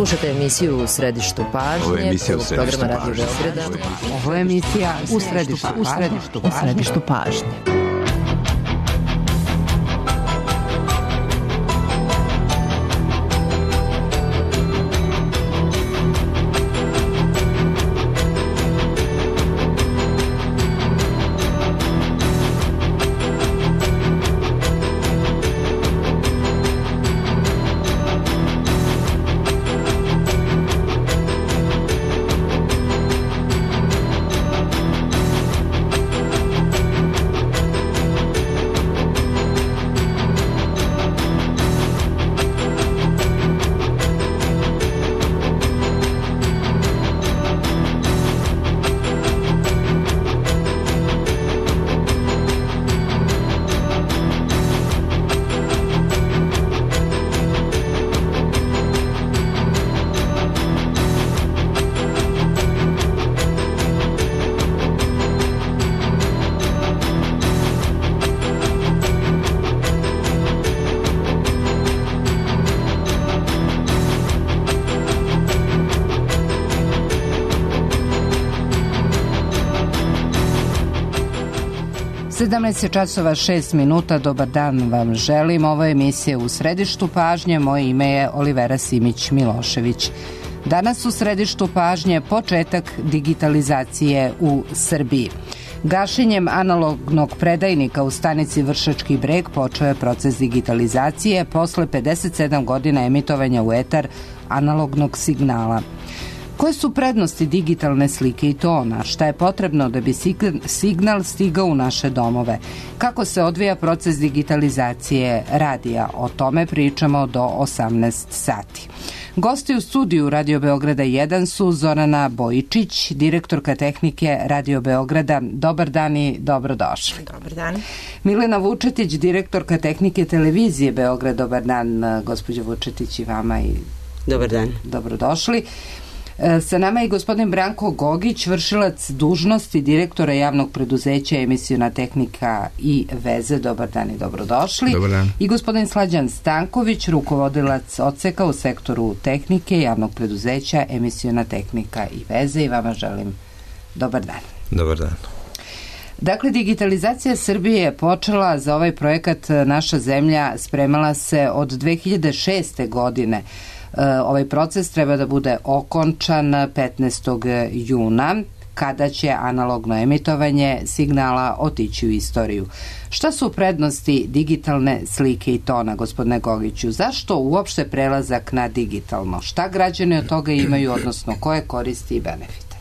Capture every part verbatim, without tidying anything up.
Slušajte emisiju U središtu pažnje. Ovo je emisija U središtu programa pažnje. Radio Beograda. Ovo je emisija U središtu, u središtu, u središtu pažnje. sedamnaest časova šest minuta, dobar dan vam želim. Ovo je emisija U središtu pažnje, moje ime je Olivera Simić-Milošević. Danas u središtu pažnje početak digitalizacije u Srbiji. Gašenjem analognog predajnika u stanici Vršački Breg počeo je proces digitalizacije posle pedeset sedam godina emitovanja u etar analognog signala. Koje su prednosti digitalne slike i tona? Šta je potrebno da bi signal stigao u naše domove? Kako se odvija proces digitalizacije radija? O tome pričamo do osamnaest sati. Gosti u studiju Radio Beograda jedan su Zorana Bojičić, direktorka tehnike Radio Beograda. Dobar dan i dobrodošli. Dobar dan. Milena Vučetić, direktorka tehnike televizije Beograd. Dobar dan, gospođo Vučetić, i vama i dobar dan. Dobrodošli. Sa nama je gospodin Branko Gogić, vršilac dužnosti direktora javnog preduzeća Emisiona tehnika i veze. Dobar dan i dobrodošli. Dobar dan. I gospodin Slađan Stanković, rukovodilac odseka u sektoru tehnike javnog preduzeća Emisiona tehnika i veze. I vama želim dobar dan. Dobar dan. Dakle, digitalizacija Srbije je počela. Za ovaj projekat naša zemlja spremala se od dve hiljade šeste. godine. Ovaj proces treba da bude okončan petnaestog juna, kada će analogno emitovanje signala otići u istoriju. Šta su prednosti digitalne slike i tona, gospodine Gogiću? Zašto uopšte prelazak na digitalno? Šta građani od toga imaju, odnosno koje koristi i benefite?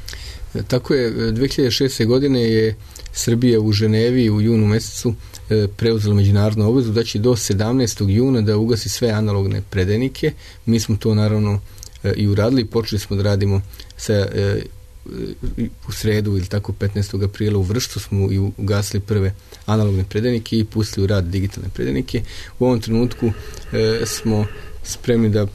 Tako je, dve hiljade šeste. godine je Srbija u Ženevi u junu mesecu preuzela međunarodnu obvezu da će do sedamnaestog juna da ugasi sve analogne predajnike. Mi smo to naravno i uradili. Počeli smo da radimo sa, u sredu ili tako petnaestog aprila u Vršcu smo i ugasili prve analogne predajnike i pustili u rad digitalne predajnike. U ovom trenutku smo spremni da u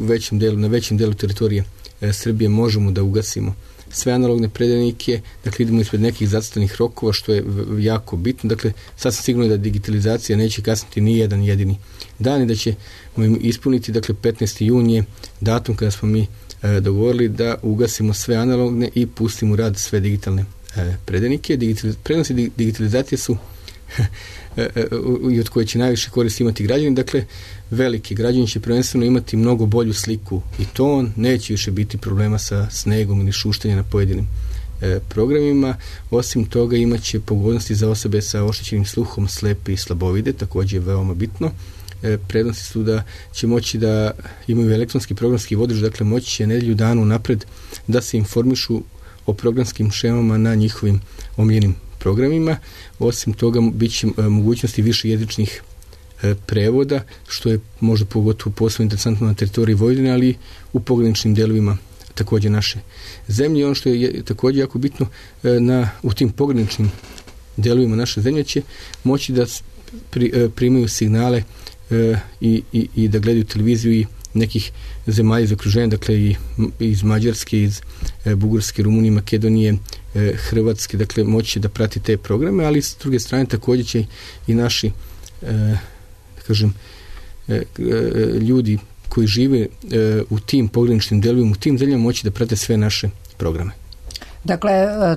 većem delu, na većem delu teritorije Srbije možemo da ugasimo sve analogne predajnike, dakle idemo ispred nekih zacrtanih rokova, što je jako bitno. Dakle, sad sam sigurno da digitalizacija neće kasniti ni jedan jedini dan i da ćemo ispuniti, dakle petnaesti jun je datum kada smo mi e, dogovorili da ugasimo sve analogne i pustimo u rad sve digitalne e, predajnike. Digitaliz- prednosti digitalizacije su i od koje će najviše koristi imati građani. Dakle, veliki građani će prvenstveno imati mnogo bolju sliku i ton, neće više biti problema sa snegom ili šuštanjem na pojedinim e, programima. Osim toga imaće pogodnosti za osobe sa oštećenim sluhom, slepe i slabovide, također je veoma bitno. E, prednosti su da će moći da imaju elektronski programski vodič, dakle moći će nedelju danu napred da se informišu o programskim šemama na njihovim omiljenim programima. Osim toga bit će e, mogućnosti više jezičnih e, prevoda, što je možda pogotovo posebno interesantno na teritoriji Vojvodine, ali u pograničnim delovima također naše zemlje. Ono što je također jako bitno, e, na, u tim pograničnim delovima naše zemlje će moći da pri, e, primaju signale e, i, i, i da gledaju televiziju i nekih zemalja iz okruženja, dakle i iz Mađarske, iz e, Bugarske, Rumunije, Makedonije, e, Hrvatske, dakle moći da prati te programe, ali s druge strane također će i naši e, da kažem e, e, ljudi koji žive e, u tim pograničnim delovima, u tim zemljama moći da prate sve naše programe. Dakle,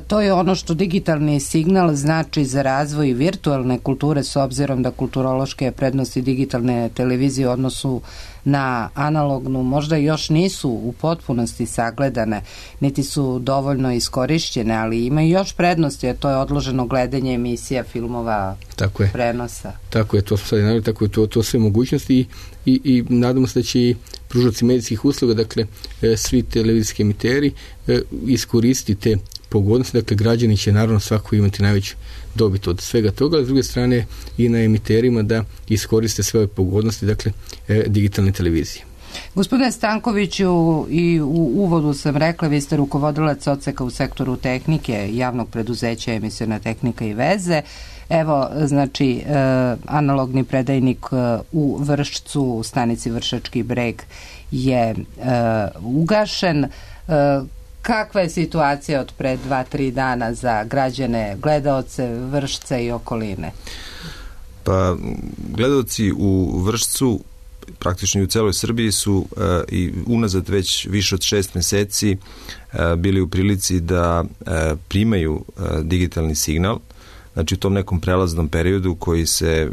to je ono što digitalni signal znači za razvoj virtualne kulture, s obzirom da kulturološke prednosti digitalne televizije u odnosu na analognu možda još nisu u potpunosti sagledane, niti su dovoljno iskorišćene, ali ima još prednosti, a to je odloženo gledanje emisija, filmova, tako je. Prenosa. Tako je, to smo sad naveli, tako je to, to sve mogućnosti i, i, i nadamo se da će i pružaoci medijskih usluga, dakle e, svi televizijski emiteri e, iskoristiti te pogodnosti, dakle građani će naravno svako imati najveću dobit od svega toga, a s druge strane i na emiterima da iskoriste sve ove pogodnosti, dakle e, digitalne televizije. Gospodine Stankoviću, i u uvodu sam rekla, vi ste rukovodilac odseka u sektoru tehnike javnog preduzeća Emisiona tehnika i veze. Evo, znači, e, analogni predajnik e, u Vršcu, u stanici Vršački Breg je e, ugašen. E, kakva je situacija od pre dva, tri dana za građane, gledaoce Vršca i okoline? Pa, gledaoci u Vršcu, praktično i u celoj Srbiji, su e, i unazad već više od šest meseci e, bili u prilici da e, primaju e, digitalni signal, znači u tom nekom prelaznom periodu koji se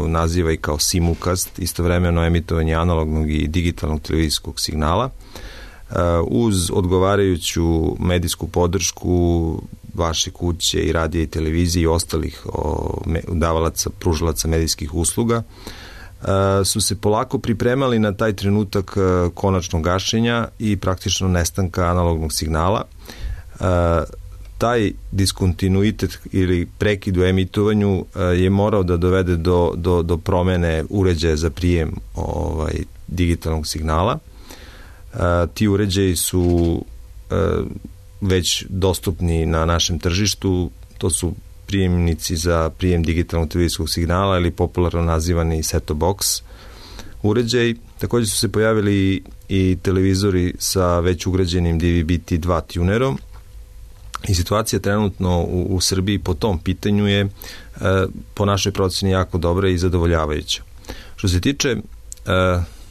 naziva i kao simulcast, istovremeno emitovanje analognog i digitalnog televizijskog signala, uz odgovarajuću medijsku podršku vaše kuće i radija i televizije i ostalih davalaca, pružalaca medijskih usluga, su se polako pripremali na taj trenutak konačnog gašenja i praktično nestanka analognog signala. Taj diskontinuitet ili prekid u emitovanju je morao da dovede do, do, do promene uređaja za prijem ovaj, digitalnog signala. Ti uređaji su već dostupni na našem tržištu, to su prijemnici za prijem digitalnog televizijskog signala ili popularno nazivani set-top box uređaj. Također su se pojavili i televizori sa već ugrađenim D V B T dva tunerom. I situacija trenutno u, u Srbiji po tom pitanju je e, po našoj proceni jako dobra i zadovoljavajuća. Što se tiče e,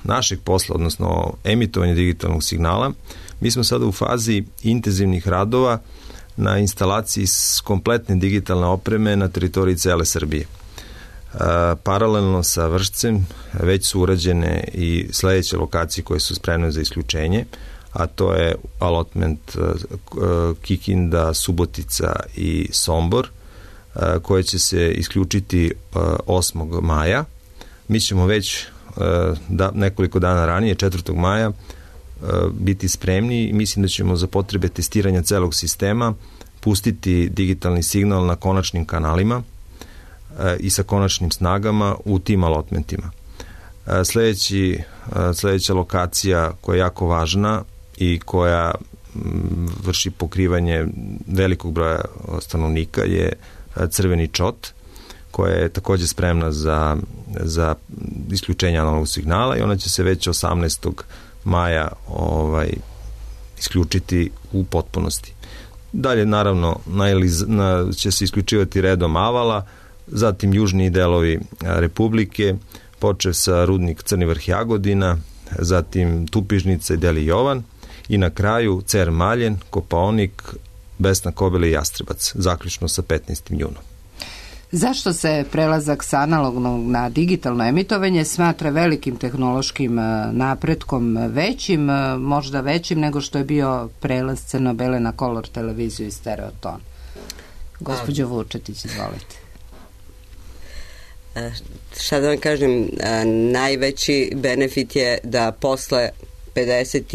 našeg posla, odnosno emitovanja digitalnog signala, mi smo sada u fazi intenzivnih radova na instalaciji kompletne digitalne opreme na teritoriji cele Srbije. E, paralelno sa Vršcem već su urađene i sledeće lokacije koje su spremne za isključenje, a to je allotment Kikinda, Subotica i Sombor, koje će se isključiti osmog maja. Mi ćemo već da, nekoliko dana ranije, četvrtog maja, biti spremni i mislim da ćemo za potrebe testiranja celog sistema pustiti digitalni signal na konačnim kanalima i sa konačnim snagama u tim allotmentima. Sledeći, sledeća lokacija koja je jako važna i koja vrši pokrivanje velikog broja stanovnika je Crveni Čot, koja je također spremna za, za isključenje analognog signala i ona će se već osamnaestog maja ovaj, isključiti u potpunosti. Dalje, naravno, na, na, će se isključivati redom Avala, zatim južni delovi Republike, počev sa rudnik Crni Vrh Jagodina, zatim Tupižnica i Deli Jovan i na kraju Cer Maljen, Kopaonik, Besna Kobila i Jastrebac, zaključno sa petnaestim junom. Zašto se prelazak sa analognog na digitalno emitovanje smatra velikim tehnološkim napretkom, većim, možda većim nego što je bio prelaz crno-bele na kolor televiziju i stereoton? Gospođo Vučetić, izvolite. Šta da vam kažem, najveći benefit je da posle pedeset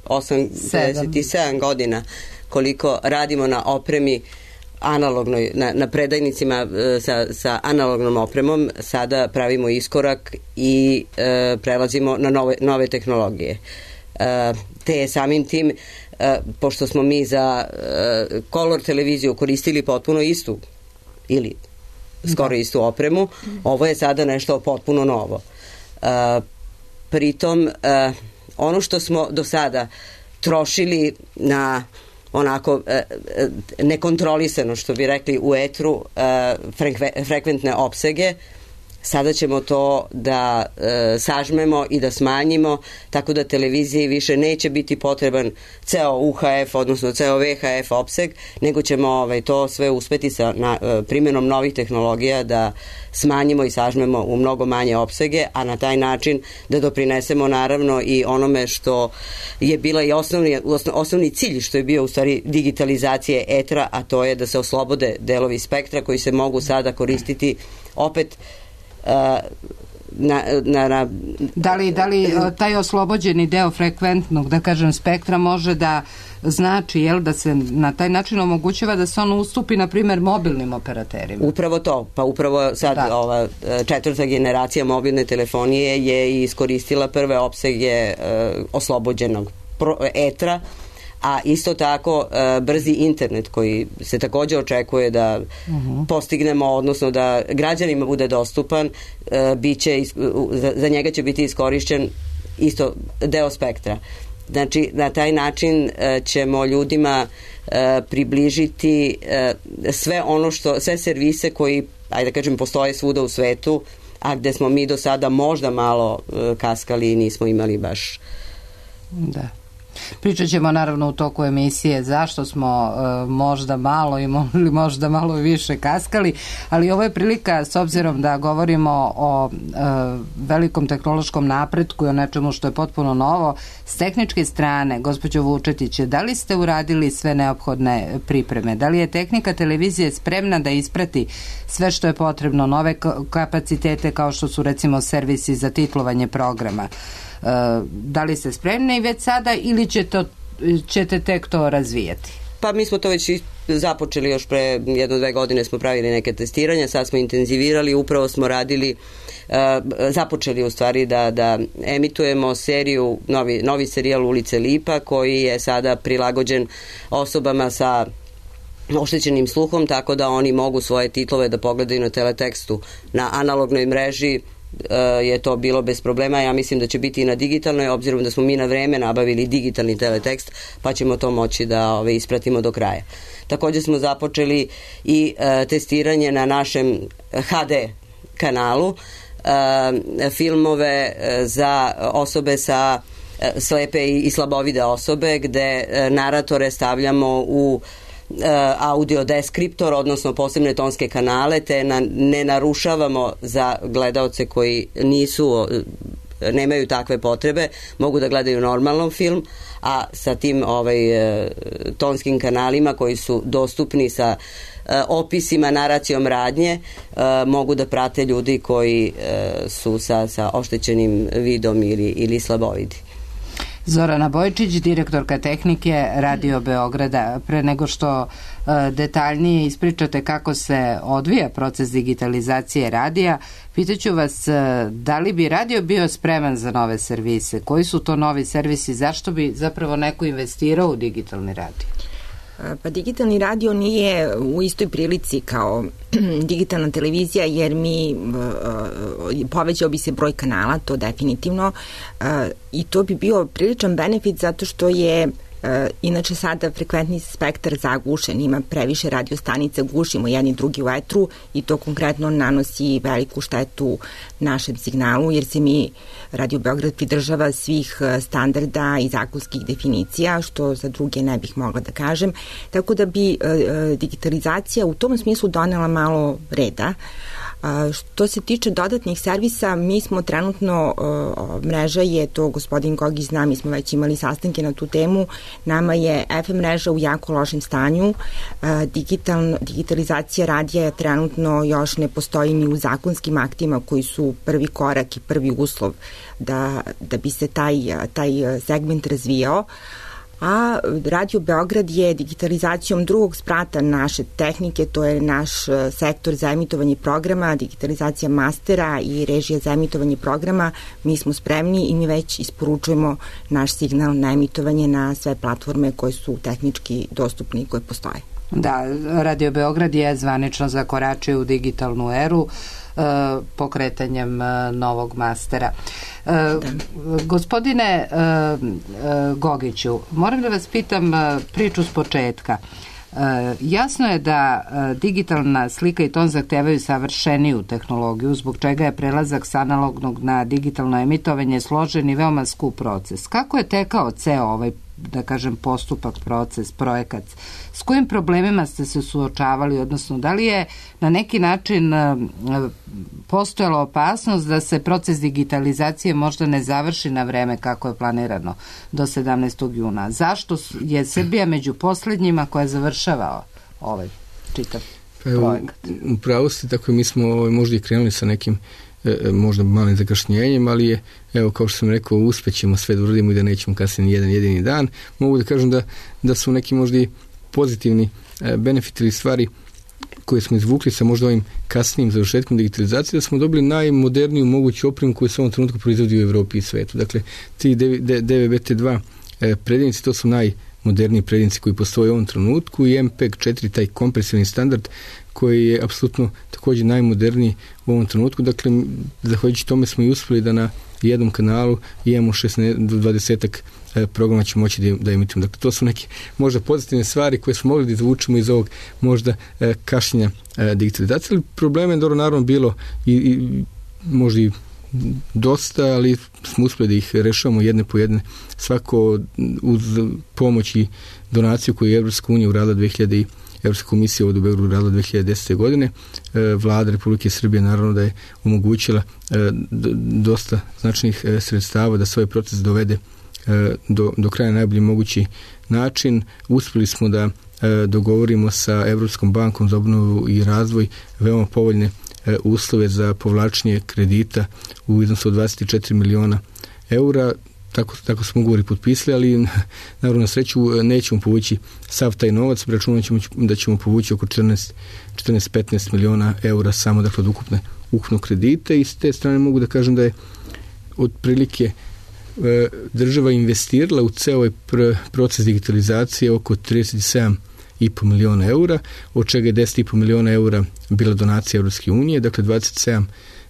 osam pedeset sedam godina koliko radimo na opremi analognoj, na, na predajnicima sa, sa analognom opremom, sada pravimo iskorak i e, prelazimo na nove, nove tehnologije. E, te samim tim, e, pošto smo mi za e, kolor televiziju koristili potpuno istu ili skoro istu opremu, ovo je sada nešto potpuno novo. E, pritom, e, ono što smo do sada trošili na onako e, nekontrolisano, što bi rekli u etru, e, frekve, frekventne opsege, Sada ćemo to da e, sažmemo i da smanjimo, tako da televiziji više neće biti potreban ceo U H F, odnosno ceo V H F opseg, nego ćemo ovaj, to sve uspeti sa na, e, primjenom novih tehnologija da smanjimo i sažmemo u mnogo manje opsege, a na taj način da doprinesemo naravno i onome što je bila i osnovni, osnovni cilj, što je bio u stvari digitalizacije etra, a to je da se oslobode delovi spektra koji se mogu sada koristiti opet uh, na, na, na... Da li, da li taj oslobođeni deo frekventnog, da kažem, spektra može da znači, jel, da se na taj način omogućava da se on ustupi, na primjer, mobilnim operaterima? Upravo to, pa upravo sad da. ova četvrta generacija mobilne telefonije je iskoristila prve opsege uh, oslobođenog pro, etra, a isto tako uh, brzi internet koji se također očekuje da uh-huh. postignemo, odnosno da građanima bude dostupan, uh, biće, uh, za, za njega će biti iskorišćen isto deo spektra. Znači, na taj način uh, ćemo ljudima uh, približiti uh, sve ono što, sve servise koji, ajde da kažem, postoje svuda u svetu, a gde smo mi do sada možda malo uh, kaskali i nismo imali baš. Da. Pričat ćemo naravno u toku emisije zašto smo e, možda malo ili možda malo više kaskali, ali ovo je prilika, s obzirom da govorimo o e, velikom tehnološkom napretku i o nečemu što je potpuno novo, s tehničke strane, gospođo Vučetić, da li ste uradili sve neophodne pripreme? Da li je tehnika televizije spremna da isprati sve što je potrebno, nove kapacitete kao što su recimo servisi za titlovanje programa? Da li ste spremni već sada ili će to, ćete tek to razvijati? Pa mi smo to već započeli još pre jedno, dve godine smo pravili neke testiranja, sad smo intenzivirali, upravo smo radili, uh, započeli u stvari da, da emitujemo seriju, novi, novi serijal Ulice Lipa koji je sada prilagođen osobama sa oštećenim sluhom, tako da oni mogu svoje titlove da pogledaju na teletekstu. Na analognoj mreži je to bilo bez problema, ja mislim da će biti i na digitalnoj, obzirom da smo mi na vreme nabavili digitalni teletekst, pa ćemo to moći da ove, ispratimo do kraja. Također smo započeli i e, testiranje na našem H D kanalu, e, filmove e, za osobe sa e, slepe i, i slabovide osobe, gde e, naratore stavljamo u audio deskriptor, odnosno posebne tonske kanale, te na, ne narušavamo za gledaoce koji nisu, nemaju takve potrebe, mogu da gledaju normalno film, a sa tim ovaj, tonskim kanalima koji su dostupni sa opisima, naracijom radnje, mogu da prate ljudi koji su sa, sa oštećenim vidom ili, ili slabovidi. Zorana Bojčić, direktorka tehnike Radio Beograda. Pre nego što e, detaljnije ispričate kako se odvija proces digitalizacije radija, pitaću vas e, da li bi radio bio spreman za nove servise? Koji su to novi servisi? Zašto bi zapravo neko investirao u digitalni radio? Pa digitalni radio nije u istoj prilici kao digitalna televizija, jer mi povećao bi se broj kanala, to definitivno, i to bi bio priličan benefit zato što je inače sada frekventni spektar zagušen, ima previše radiostanica, gušimo jedni drugi u etru i to konkretno nanosi veliku štetu našem signalu, jer se mi Radio Beograd pridržava svih standarda i zakonskih definicija, što za druge ne bih mogla da kažem, tako da bi digitalizacija u tom smislu donela malo reda. A, što se tiče dodatnih servisa, mi smo trenutno, uh, mreža je, to gospodin Gogi zna, mi smo već imali sastanke na tu temu, nama je F M mreža u jako lošem stanju, uh, digital, digitalizacija radija je trenutno još ne postoji ni u zakonskim aktima koji su prvi korak i prvi uslov da, da bi se taj, taj segment razvijao. A Radio Beograd je digitalizacijom drugog sprata naše tehnike, to je naš sektor za emitovanje programa, digitalizacija mastera i režija za emitovanje programa. Mi smo spremni i mi već isporučujemo naš signal na emitovanje na sve platforme koje su tehnički dostupne i koje postoje. Da, Radio Beograd je zvanično zakoračio u digitalnu eru pokretanjem novog mastera. Da. Gospodine Gogiću, moram da vas pitam priču s početka. Jasno je da digitalna slika i ton zahtevaju savršeniju tehnologiju, zbog čega je prelazak s analognog na digitalno emitovanje složen i veoma skup proces. Kako je tekao ceo ovaj, da kažem, postupak, proces, projekat? S kojim problemima ste se suočavali, odnosno da li je na neki način postojala opasnost da se proces digitalizacije možda ne završi na vreme kako je planirano do sedamnaestog juna? Zašto je Srbija među poslednjima koja završava ovaj čitav projekat? U pravu ste, tako mi smo možda i krenuli sa nekim možda malim zakašnjenjem, ali je, evo, kao što sam rekao, uspećemo sve da uradimo i da nećemo kasnije ni jedan jedini dan. Mogu da kažem da, da su neki možda i pozitivni benefiti ili stvari koje smo izvukli sa možda ovim kasnijim završetkom digitalizacije, da smo dobili najmoderniju moguću opremu koju se u ovom trenutku proizvodi u Evropi i svetu. Dakle, ti D V B T dva predjednici, to su najmoderniji predjednici koji postoje u ovom trenutku, i M P E G četiri, taj kompresivni standard koji je apsolutno također najmoderniji u ovom trenutku. Dakle, zahvaljujući tome smo i uspjeli da na jednom kanalu imamo šesnaest do dvadeset programa će moći da, da emitujemo. Dakle, to su neke možda pozitivne stvari koje smo mogli da izvučemo iz ovog možda kašnjenja digitalizacije. Ali problema je dobro naravno bilo i, i možda i dosta, ali smo uspjeli da ih rešavamo jedne po jedne, svako uz pomoć i donaciju koju je Evropska unija uradila dve hiljade Evropska komisija ovdje u Beogradu radila dve hiljade desete. godine. Vlada Republike Srbije naravno da je omogućila dosta značajnih sredstava da svoj proces dovede do, do kraja najbolji mogući način. Uspjeli smo da dogovorimo sa Evropskom bankom za obnovu i razvoj veoma povoljne uslove za povlačenje kredita u iznosu od dvadeset četiri miliona eura. Tako, tako smo ugovori potpisali, ali naravno na sreću nećemo povući sav taj novac, računamo ćemo da ćemo povući oko četrnaest do petnaest miliona eura samo, dakle, od ukupne, ukupnog kredita, i s te strane mogu da kažem da je otprilike e, država investirala u ceo ovaj pr- proces digitalizacije oko trideset sedam i po miliona eura, od čega je deset i po miliona eura bila donacija Evropske unije, dakle dvadeset sedam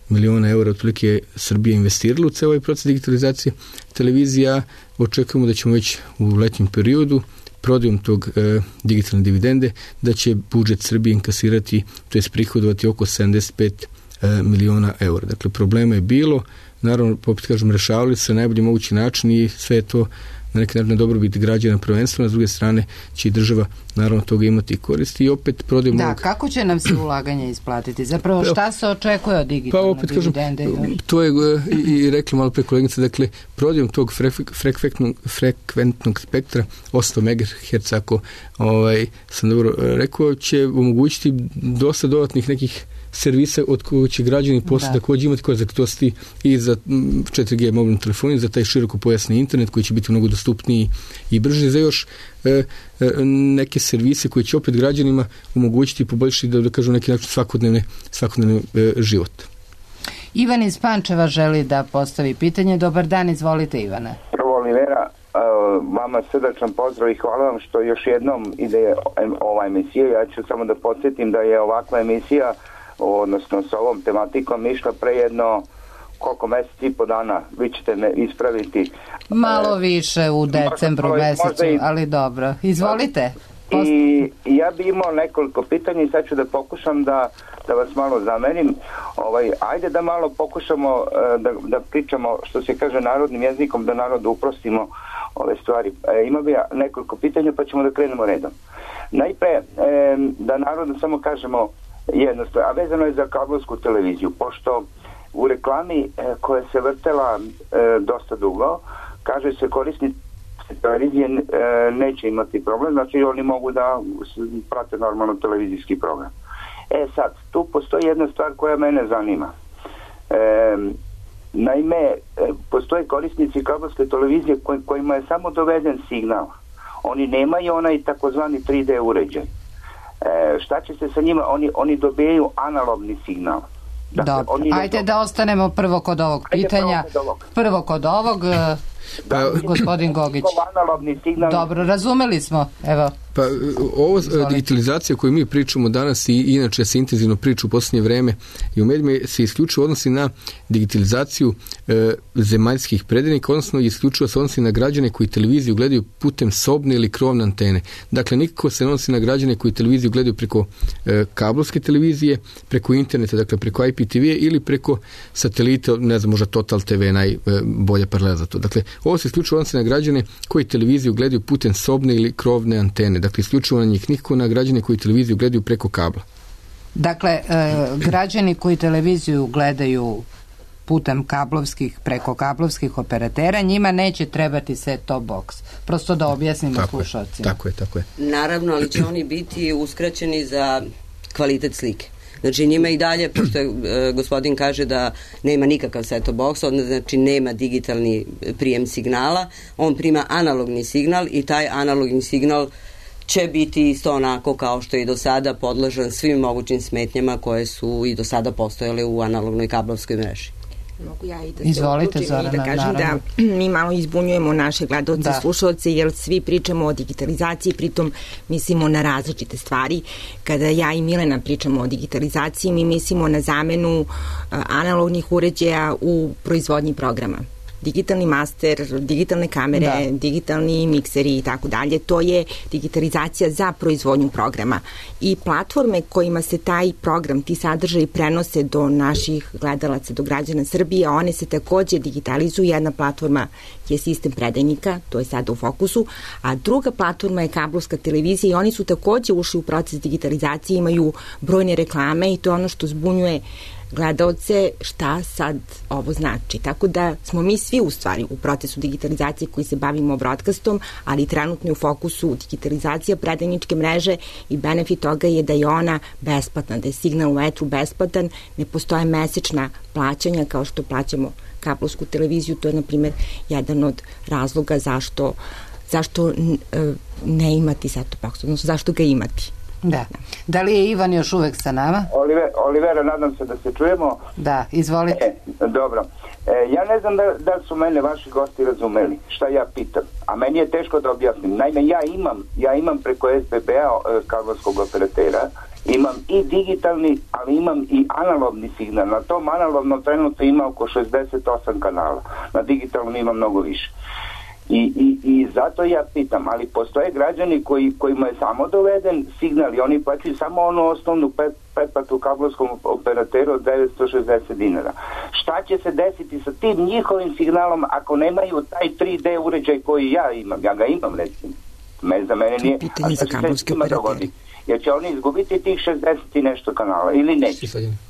miliona eura otprilike je Srbija investirala u ceo ovaj proces digitalizacije. Televizija, očekujemo da ćemo već u letnjem periodu prodajom tog e, digitalne dividende, da će budžet Srbije inkasirati, to je prihodovati oko sedamdeset pet e, miliona eura. Dakle, problema je bilo, naravno, poput kažem, rešavali se na najbolji mogući način i sve je to na neki način dobrobit građana prvenstveno, s druge strane će i država naravno toga imati koristi i opet prodajemo... Da, ovog... kako će nam se ulaganje isplatiti? Zapravo šta se očekuje od digitalne pa opet dividende? Kažem, to je i, i rekla malo pre kolegica, dakle, prodajom tog frekventnog, frekventnog spektra osamsto megaherca, ako ovaj, sam dobro rekao, će omogućiti dosta dodatnih nekih servisa od kojeg će građani posle također imati koristi i za četiri G mobilnu telefonu, za taj široko pojasni internet koji će biti mnogo dostupniji i brži, za još e, e, neke servise koji će opet građanima omogućiti i poboljšati, da, da kažem, neki način svakodnevni, svakodnevni e, život. Ivan iz Pančeva želi da postavi pitanje. Dobar dan, izvolite, Ivane. Prvo, Olivera, vama srdačan pozdrav i hvala vam što još jednom ide ova emisija. Ja ću samo da podsjetim da je ovakva emisija, odnosno s ovom tematikom, išla pre jedno koliko meseci i po dana, vi ćete me ispraviti. Malo više u decembru možda, mesecu, možda i, ali dobro. Izvolite. Post... I ja bi imao nekoliko pitanja i sad ću da pokušam da, da vas malo zamenim. Ovaj, ajde da malo pokušamo da, da pričamo, što se kaže, narodnim jezikom, da narodu uprostimo ove stvari. E, ima bi ja nekoliko pitanja, pa ćemo da krenemo redom. Najpre, e, da narodu samo kažemo jednostavno, a vezano je za kablovsku televiziju, pošto u reklami e, koja se vrtela e, dosta dugo, kaže se korisnici televizije e, neće imati problem, znači oni mogu da prate normalno televizijski program. E sad, tu postoji jedna stvar koja mene zanima. E, naime, e, postoje korisnici kablovske televizije koj, kojima je samo doveden signal. Oni nemaju onaj takozvani tri D uređaj. E, šta će se sa njima? Oni, oni dobijaju analogni signal. Dakle, dobro, ajde do... da ostanemo prvo kod ovog pitanja. Ajde, prvo kod ovog. Prvo kod ovog, Pa, gospodin Gogić. Analogni signal. Dobro, razumeli smo. Evo. Pa ovo digitalizacija koju mi pričamo danas i inače se intenzivno priča u posljednje vreme i u medijima se isključivo odnosi na digitalizaciju e, zemaljskih predenika, odnosno isključivo se odnosi na građane koji televiziju gledaju putem sobne ili krovne antene. Dakle, nikako se ne odnosi na građane koji televiziju gledaju preko e, kablovske televizije, preko interneta, dakle preko I P T V ili preko satelita, ne znam, možda Total T V najbolja paralela za to. Dakle, ovo se isključivo odnosi na građane koji televiziju gledaju putem sobne ili krovne antene. Dakle, isključivo na njih, nikako na građane koji televiziju gledaju preko kabla. Dakle, e, građani koji televiziju gledaju putem kablovskih, preko kablovskih operatera, njima neće trebati set-top box. Prosto da objasnimo slušalcima. Tako je, tako je. Naravno, ali će oni biti uskraćeni za kvalitet slike. Znači njima i dalje, pošto je, e, gospodin kaže da nema nikakav set-top box, odnosno znači nema digitalni prijem signala, on prima analogni signal i taj analogni signal će biti isto onako kao što je i do sada podložan svim mogućim smetnjama koje su i do sada postojale u analognoj kablovskoj mreži. Mogu ja i da Izvolite, se Zorana, da kažem naravno. da mi malo izbunjujemo naše gledaoce i slušalce, jer svi pričamo o digitalizaciji, pritom mislimo na različite stvari. Kada ja i Milena pričamo o digitalizaciji, mi mislimo na zamenu analognih uređaja u proizvodnji programa. Digitalni master, digitalne kamere, da. digitalni mikseri i tako dalje, to je digitalizacija za proizvodnju programa. I platforme kojima se taj program, ti sadržaji prenose do naših gledalaca, do građana Srbije, one se takođe digitalizuju. Jedna platforma je sistem predajnika, to je sada u fokusu, a druga platforma je kablovska televizija i oni su takođe ušli u proces digitalizacije, imaju brojne reklame i to je ono što zbunjuje gledaoce šta sad ovo znači. Tako da smo mi svi u stvari u procesu digitalizacije koji se bavimo broadcastom, ali trenutno je u fokusu digitalizacija predajničke mreže i benefit toga je da je ona besplatna, da je signal u etru besplatan, ne postoje mesečna plaćanja kao što plaćamo kablovsku televiziju. To je, na primjer, jedan od razloga zašto, zašto ne imati set-top box, odnosno zašto ga imati. Da. Da li je Ivan još uvek sa nama? Oliver, Olivera, nadam se da se čujemo. Da, izvolite. E, dobro. E, ja ne znam da, da su mene vaši gosti razumeli šta ja pitam, a meni je teško da objasnim. Naime, ja imam, ja imam preko S B B-a kablovskog operatera, imam i digitalni, ali imam i analogni signal. Na tom analognom trenutno ima oko šezdeset osam kanala. Na digitalnom ima mnogo više. I, i, i zato ja pitam, ali postoje građani koji, kojima je samo doveden signal i oni plaćaju samo onu osnovnu pretplatu kablovskom operateru od devetsto šezdeset dinara. Šta će se desiti sa tim njihovim signalom ako nemaju taj tri D uređaj koji ja imam? Ja ga imam, recimo. Me, za mene nije. Pitanje za kablovske operatere. Jer će oni izgubiti tih šezdeset i nešto kanala ili neće?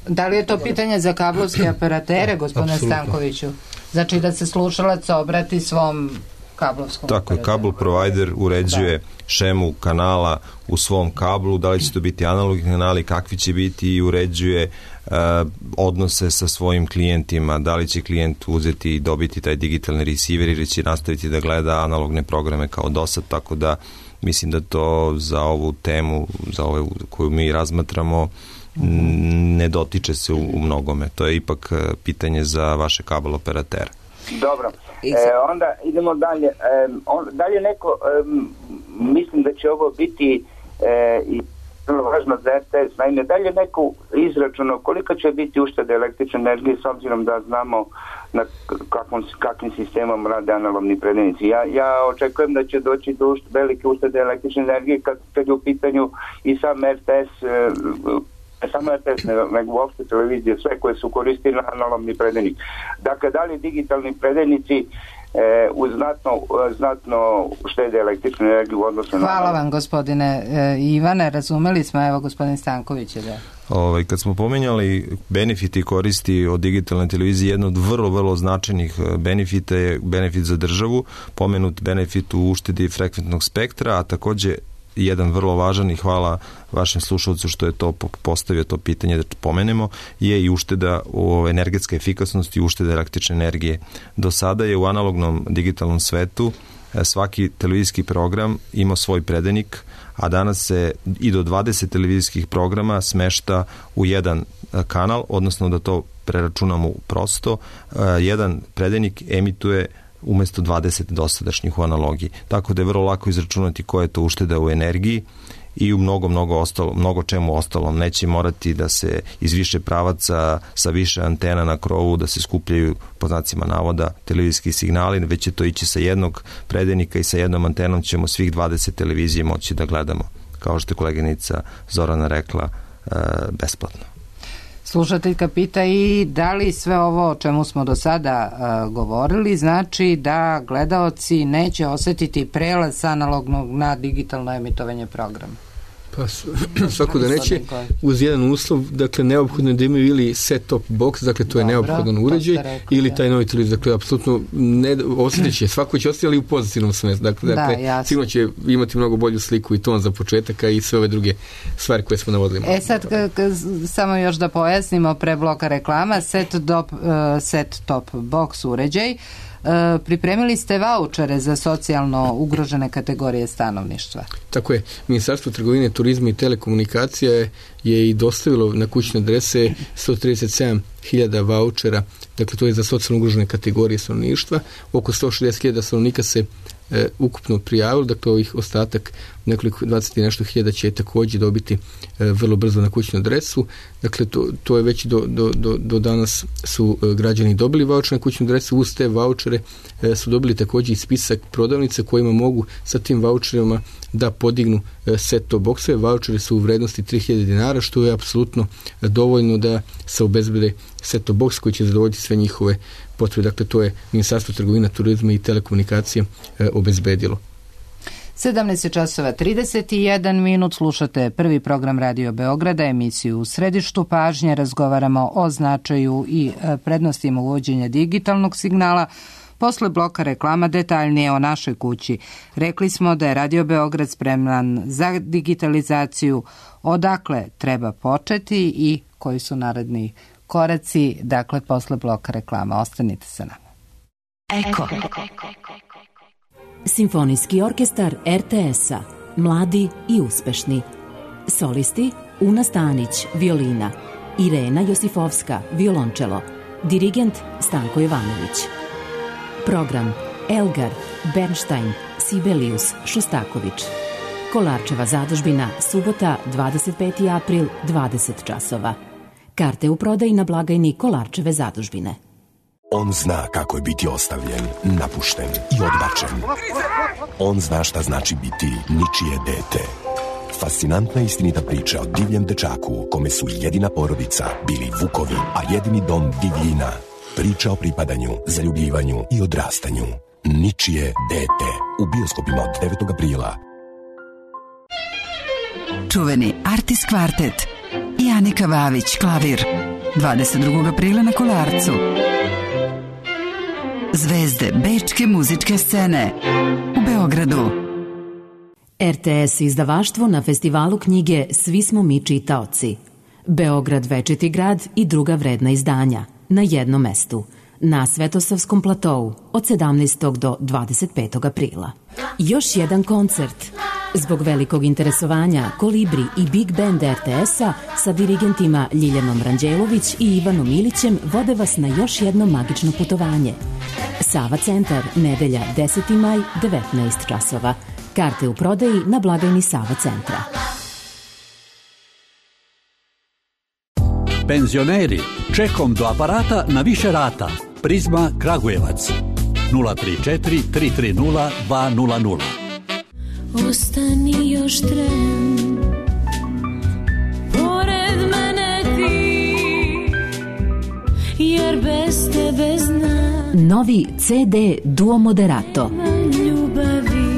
Da li je to pitanje za kablovske operatere, gospodine Stankoviću? Znači da se slušalac obrati svom kablovskom Tako je, kabel provider uređuje da. šemu kanala u svom kablu, da li će to biti analogni kanali, kakvi će biti, i uređuje uh, odnose sa svojim klijentima, da li će klijent uzeti i dobiti taj digitalni receiver ili će nastaviti da gleda analogne programe kao do sad, tako da mislim da to za ovu temu, za ovu koju mi razmatramo, ne dotiče se u, u mnogome. To je ipak pitanje za vaše kabel operatera. Dobro. E, onda idemo dalje. E, on, dalje neko, e, mislim da će ovo biti e, i vrlo važno za R T S. Naime, dalje neko izračuno koliko će biti uštede električne energije s obzirom da znamo na kakvom, kakvim sistemom rade analogni predajnici. Ja, ja očekujem da će doći do ušte, velike uštede električne energije kad, kad je u pitanju i sam R T S, e, ne samo R T S, nego uopšte televizije, sve koje su koristili na analogni predajnik. Dakle, da li digitalni predajnici e, u znatno, znatno štede električnu energiju u odnosu na... Hvala vam, gospodine e, Ivane, razumeli smo, evo gospodin Stanković je da... Ovaj, kad smo pomenjali benefiti koristi od digitalne televizije, jedno od vrlo, vrlo značajnih benefita je benefit za državu, pomenut benefit u uštedi frekventnog spektra, a takođe jedan vrlo važan, i hvala vašem slušalcu što je to postavio to pitanje da pomenemo, je i ušteda u energetske efikasnosti i ušteda električne energije. Do sada je u analognom digitalnom svetu svaki televizijski program imao svoj predajnik, a danas se i do dvadeset televizijskih programa smešta u jedan kanal, odnosno da to preračunamo prosto, jedan predajnik emituje umesto dvadeset dosadašnjih u analogiji. Tako da je vrlo lako izračunati koja je to ušteda u energiji i u mnogo, mnogo, ostalo, mnogo čemu ostalom. Neće morati da se iz više pravaca sa više antena na krovu da se skupljaju, po znacima navoda, televizijski signali, već će to ići sa jednog predajnika i sa jednom antenom ćemo svih dvadeset televizije moći da gledamo, kao što je koleginica Zorana rekla, e, besplatno. Slušateljka pita i da li sve ovo o čemu smo do sada uh, govorili znači da gledaoci neće osetiti prelaz sa analognog na digitalno emitovanje programa? Pa svako da neće, uz jedan uslov, dakle neophodno je da imaju ili set-top box, dakle to je Dobro, neophodan uređaj, rekao, ili taj novi televizor, dakle apsolutno ne osjetit će, svako će osjetiti ali u pozitivnom smislu, dakle, da, dakle sigurno će imati mnogo bolju sliku i ton za početak, a i sve ove druge stvari koje smo navodili. E sad, k- k- samo još da pojasnimo pre bloka reklama, set-top, uh, set-top box uređaj, Uh, pripremili ste vaučere za socijalno ugrožene kategorije stanovništva. Tako je. Ministarstvo trgovine, turizma i telekomunikacija je, je i dostavilo na kućne adrese sto trideset sedam hiljada vaučera, dakle to je za socijalno ugrožene kategorije stanovništva. Oko sto šezdeset hiljada stanovnika se e, ukupno prijavilo, dakle ovih ostatak nekoliko dvadeset i nešto hiljada će također dobiti e, vrlo brzo na kućnu adresu. Dakle to, to je već do, do, do, do danas su e, građani dobili vaučer na kućnu adresu, uz te vaučere e, su dobili također i spisak prodavnica kojima mogu sa tim vaučerima da podignu e, set-top boksove. Vaučeri su u vrednosti tri hiljade dinara, što je apsolutno dovoljno da se obezbede set-top box koji će zadovoljiti sve njihove potrebe. Dakle, to je Ministarstvo trgovina, turizma i telekomunikacije e, obezbedilo. sedamnaest časova trideset jedan minut, slušate prvi program Radio Beograda, emisiju U središtu pažnje, razgovaramo o značaju i prednostima uvođenja digitalnog signala. Posle bloka reklama detaljnije o našoj kući. Rekli smo da je Radio Beograd spreman za digitalizaciju, odakle treba početi i koji su naredni koraci, dakle posle bloka reklama. Ostanite sa nama. Eko. Simfonijski orkestar er te es-a, mladi i uspešni. Solisti Una Stanić, violina, Irena Josifovska, violončelo, dirigent Stanko Jovanović. Program Elgar, Bernstein, Sibelius, Šostaković. Kolarčeva zadužbina, subota, dvadeset peti april, dvadeset časova. Karte u prodaji na blagajni Kolarčeve zadužbine. On zna kako je biti ostavljen, napušten i odbačen. On zna šta znači biti ničije dete. Fascinantna istinita priča o divljem dečaku kome su jedina porodica bili vukovi, a jedini dom divljina. Priča o pripadanju, zaljubljivanju i odrastanju. Ničije dete. U bioskopima od devetog aprila. Čuveni Artis kvartet i Anika Vavić, klavir. dvadeset drugog aprila na Kolarcu. Zvezde bečke muzičke scene u Beogradu. er te es izdavaštvo na festivalu knjige Svi smo mi čitaoci. Beograd večiti grad i druga vredna izdanja na jednom mestu, na Svetosavskom platou od sedamnaestog do dvadeset petog aprila. Još jedan koncert. Zbog velikog interesovanja Kolibri i Big Band er te es-a sa dirigentima Ljiljanom Ranđelović i Ivanom Ilićem vode vas na još jedno magično putovanje. Sava centar, nedelja deseti maj, devetnaest časova. Karte u prodaji na blagajni Sava centra. Penzioneri, čekom do aparata na više rata. Prizma Kragujevac. nula tri četiri tri tri nula dva nula nula. Ostani još tren, pored mene ti, jer bez tebe znam. Novi ce de Duo Moderato. Ljubavi.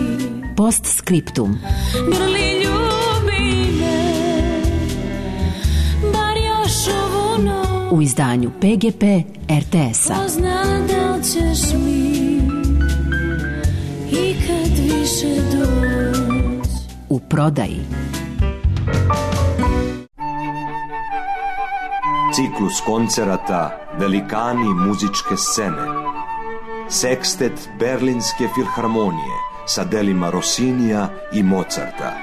Postscriptum. Grli ljubi me, bar još ovu noć. U izdanju pe ge pe er te es-a. Pozna da li ćeš mi i kad više doći. U prodaji. Ciklus koncerata Velikani muzičke scene. Sekstet Berlinske filharmonije sa delima Rossinija i Mozarta.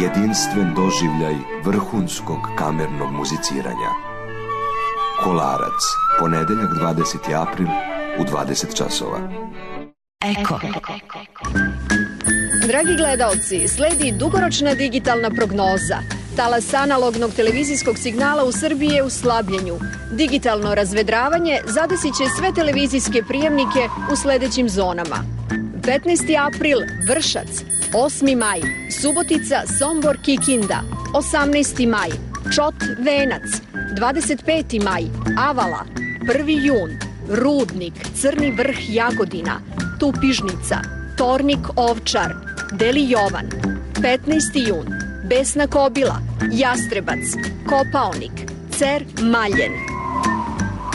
Jedinstven doživljaj vrhunskog kamernog muziciranja. Kolarac, ponedeljak dvadeseti april u dvadeset časova. Eko. Dragi gledaoci, sledi dugoročna digitalna prognoza. Talas analognog televizijskog signala u Srbiji je u slabljenju. Digitalno razvedravanje zadesit će sve televizijske prijemnike u sledećim zonama. petnaesti april Vršac, osmi maj Subotica, Sombor, Kikinda, osamnaesti maj Čot, Venac, dvadeset peti maj Avala, prvi jun Rudnik, Crni Vrh, Jagodina, Tupižnica, Tornik, Ovčar, Deli Jovan, petnaesti jun Besna Kobila, Jastrebac, Kopaonik, Cer, Maljen.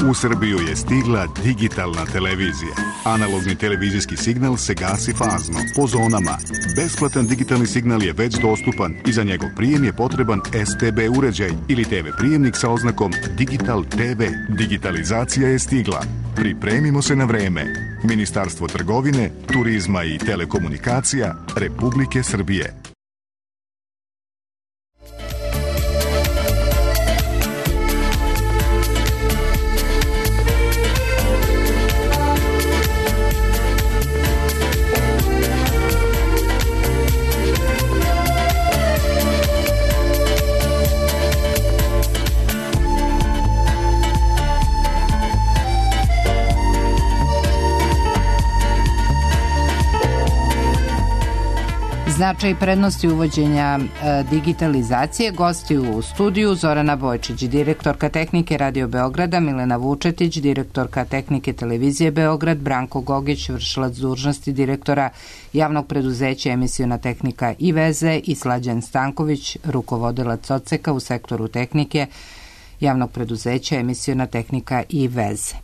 U Srbiju je stigla digitalna televizija. Analogni televizijski signal se gasi fazno, po zonama. Besplatan digitalni signal je već dostupan i za njegov prijem je potreban S T B uređaj ili T V prijemnik sa oznakom Digital T V. Digitalizacija je stigla. Pripremimo se na vreme. Ministarstvo trgovine, turizma i telekomunikacija Republike Srbije. Značaj i prednosti uvođenja e, digitalizacije, gosti u studiju Zorana Bojčić, direktorka tehnike Radio Beograda, Milena Vučetić, direktorka tehnike televizije Beograd, Branko Gogić, vršilac dužnosti direktora javnog preduzeća Emisiona tehnika i veze i Slađan Stanković, rukovodilac odseka u sektoru tehnike javnog preduzeća Emisiona tehnika i veze.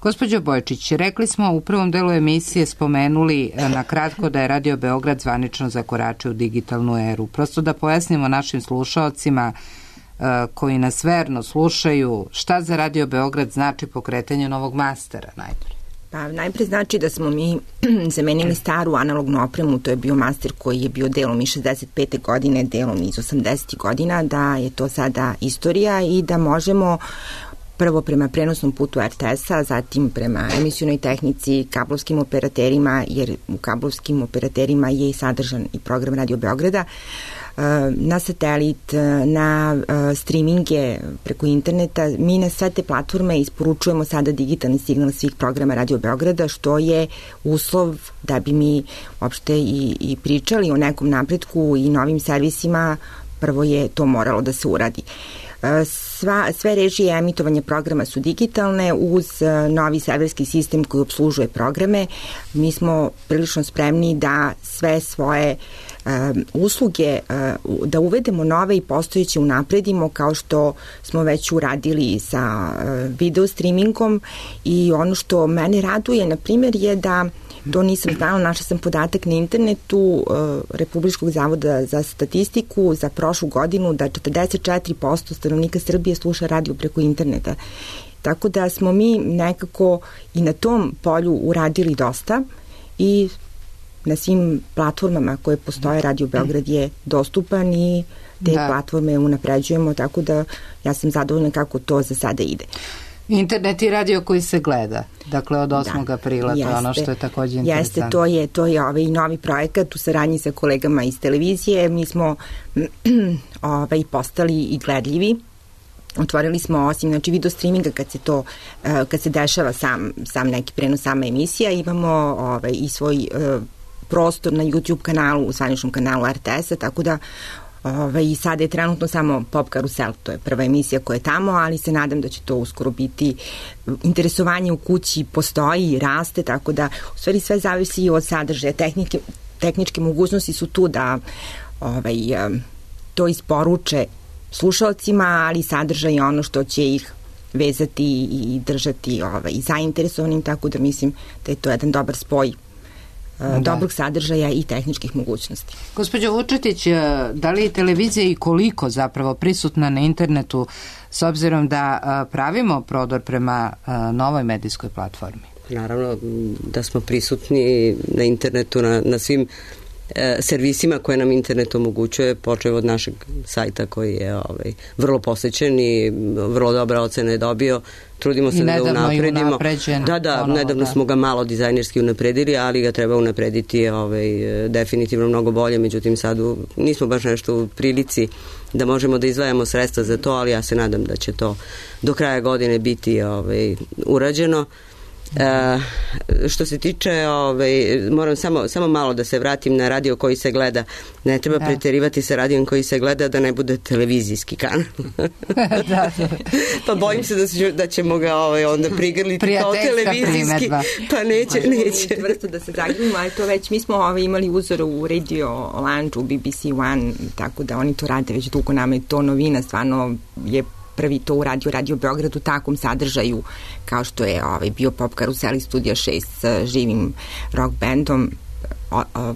Gospođo Bojčić, rekli smo u prvom delu emisije, spomenuli na kratko da je Radio Beograd zvanično zakoračio u digitalnu eru. Prosto da pojasnimo našim slušaocima koji nas verno slušaju šta za Radio Beograd znači pokretanje novog mastera najpre. Pa najpre znači da smo mi zamenili staru analognu opremu, to je bio master koji je bio delom iz šezdeset pete godine, delom iz osamdesetih godina, da je to sada istorija i da možemo prvo prema prenosnom putu R T S-a, zatim prema emisionoj tehnici, kablovskim operaterima, jer u kablovskim operaterima je i sadržan i program Radio Beograda, na satelit, na streaminge preko interneta. Mi na sve te platforme isporučujemo sada digitalni signal svih programa Radio Beograda, što je uslov da bi mi uopšte i, i pričali o nekom napretku i novim servisima. Prvo je to moralo da se uradi. Sva, sve režije emitovanja programa su digitalne uz novi serverski sistem koji obslužuje programe. Mi smo prilično spremni da sve svoje um, usluge, uh, da uvedemo nove i postojeće unapredimo, kao što smo već uradili sa uh, video streamingom. I ono što mene raduje, na primjer, je da to nisam znala, našla sam podatak na internetu uh, Republičkog zavoda za statistiku za prošlu godinu da četrdeset četiri posto stanovnika Srbije sluša radio preko interneta. Tako da smo mi nekako i na tom polju uradili dosta i na svim platformama koje postoje Radio Beograd je dostupan i te da. platforme unapređujemo, tako da ja sam zadovoljna kako to za sada ide. Internet i radio koji se gleda, dakle od osmog Da, aprila, jeste, to je ono što je takođe interesantno. Jeste, to je, to je ovaj novi projekat u saradnji sa kolegama iz televizije. Mi smo ovaj, postali i gledljivi. Otvorili smo, osim znači, video streaminga kad se to, kad se dešava sam, sam neki prenos, sama emisija, imamo ovaj, i svoj uh, prostor na YouTube kanalu, u zvaničnom kanalu R T S-a, tako da Ove, i sada je trenutno samo Pop Karusel, to je prva emisija koja je tamo, ali se nadam da će to uskoro biti. Interesovanje u kući postoji i raste, tako da u stvari sve zavisi od sadržaja. Tehnike, tehničke mogućnosti su tu da ovaj, to isporuče slušalcima, ali sadržaj je ono što će ih vezati i držati ovaj, zainteresovanim, tako da mislim da je to jedan dobar spoj Da. dobrog sadržaja i tehničkih mogućnosti. Gospođo Vučetić, da li je televizija i koliko zapravo prisutna na internetu s obzirom da pravimo prodor prema novoj medijskoj platformi? Naravno da smo prisutni na internetu, na, na svim e, servisima koje nam internet omogućuje, počeo od našeg sajta koji je ovaj, vrlo posećen i vrlo dobra ocena je dobio. Trudimo se I da ga unapredimo. Da, da, ponovo, nedavno da. smo ga malo dizajnerski unapredili, ali ga treba unaprediti ovaj, definitivno mnogo bolje, međutim sad u, nismo baš nešto u prilici da možemo da izdvajamo sredstva za to, ali ja se nadam da će to do kraja godine biti ovaj, urađeno. E, što se tiče ovaj, moram samo, samo malo da se vratim na radio koji se gleda. Ne treba da. preterivati sa radijom koji se gleda da ne bude televizijski kanal. da, da. Pa bojim se da, će, da ćemo ga ovaj, onda prigrliti kao televizijski primedba. Pa neće, neće Tvrsto da se zagrlimo, ali to već mi smo ovaj, imali uzor u Radio Lounge, u B B C One, tako da oni to rade već dugo, nama je to novina, stvarno je prvi to uradio Radio Beograd u takvom sadržaju kao što je ovaj, bio Pop Karuseli Studija šest sa živim rock bandom. O, o,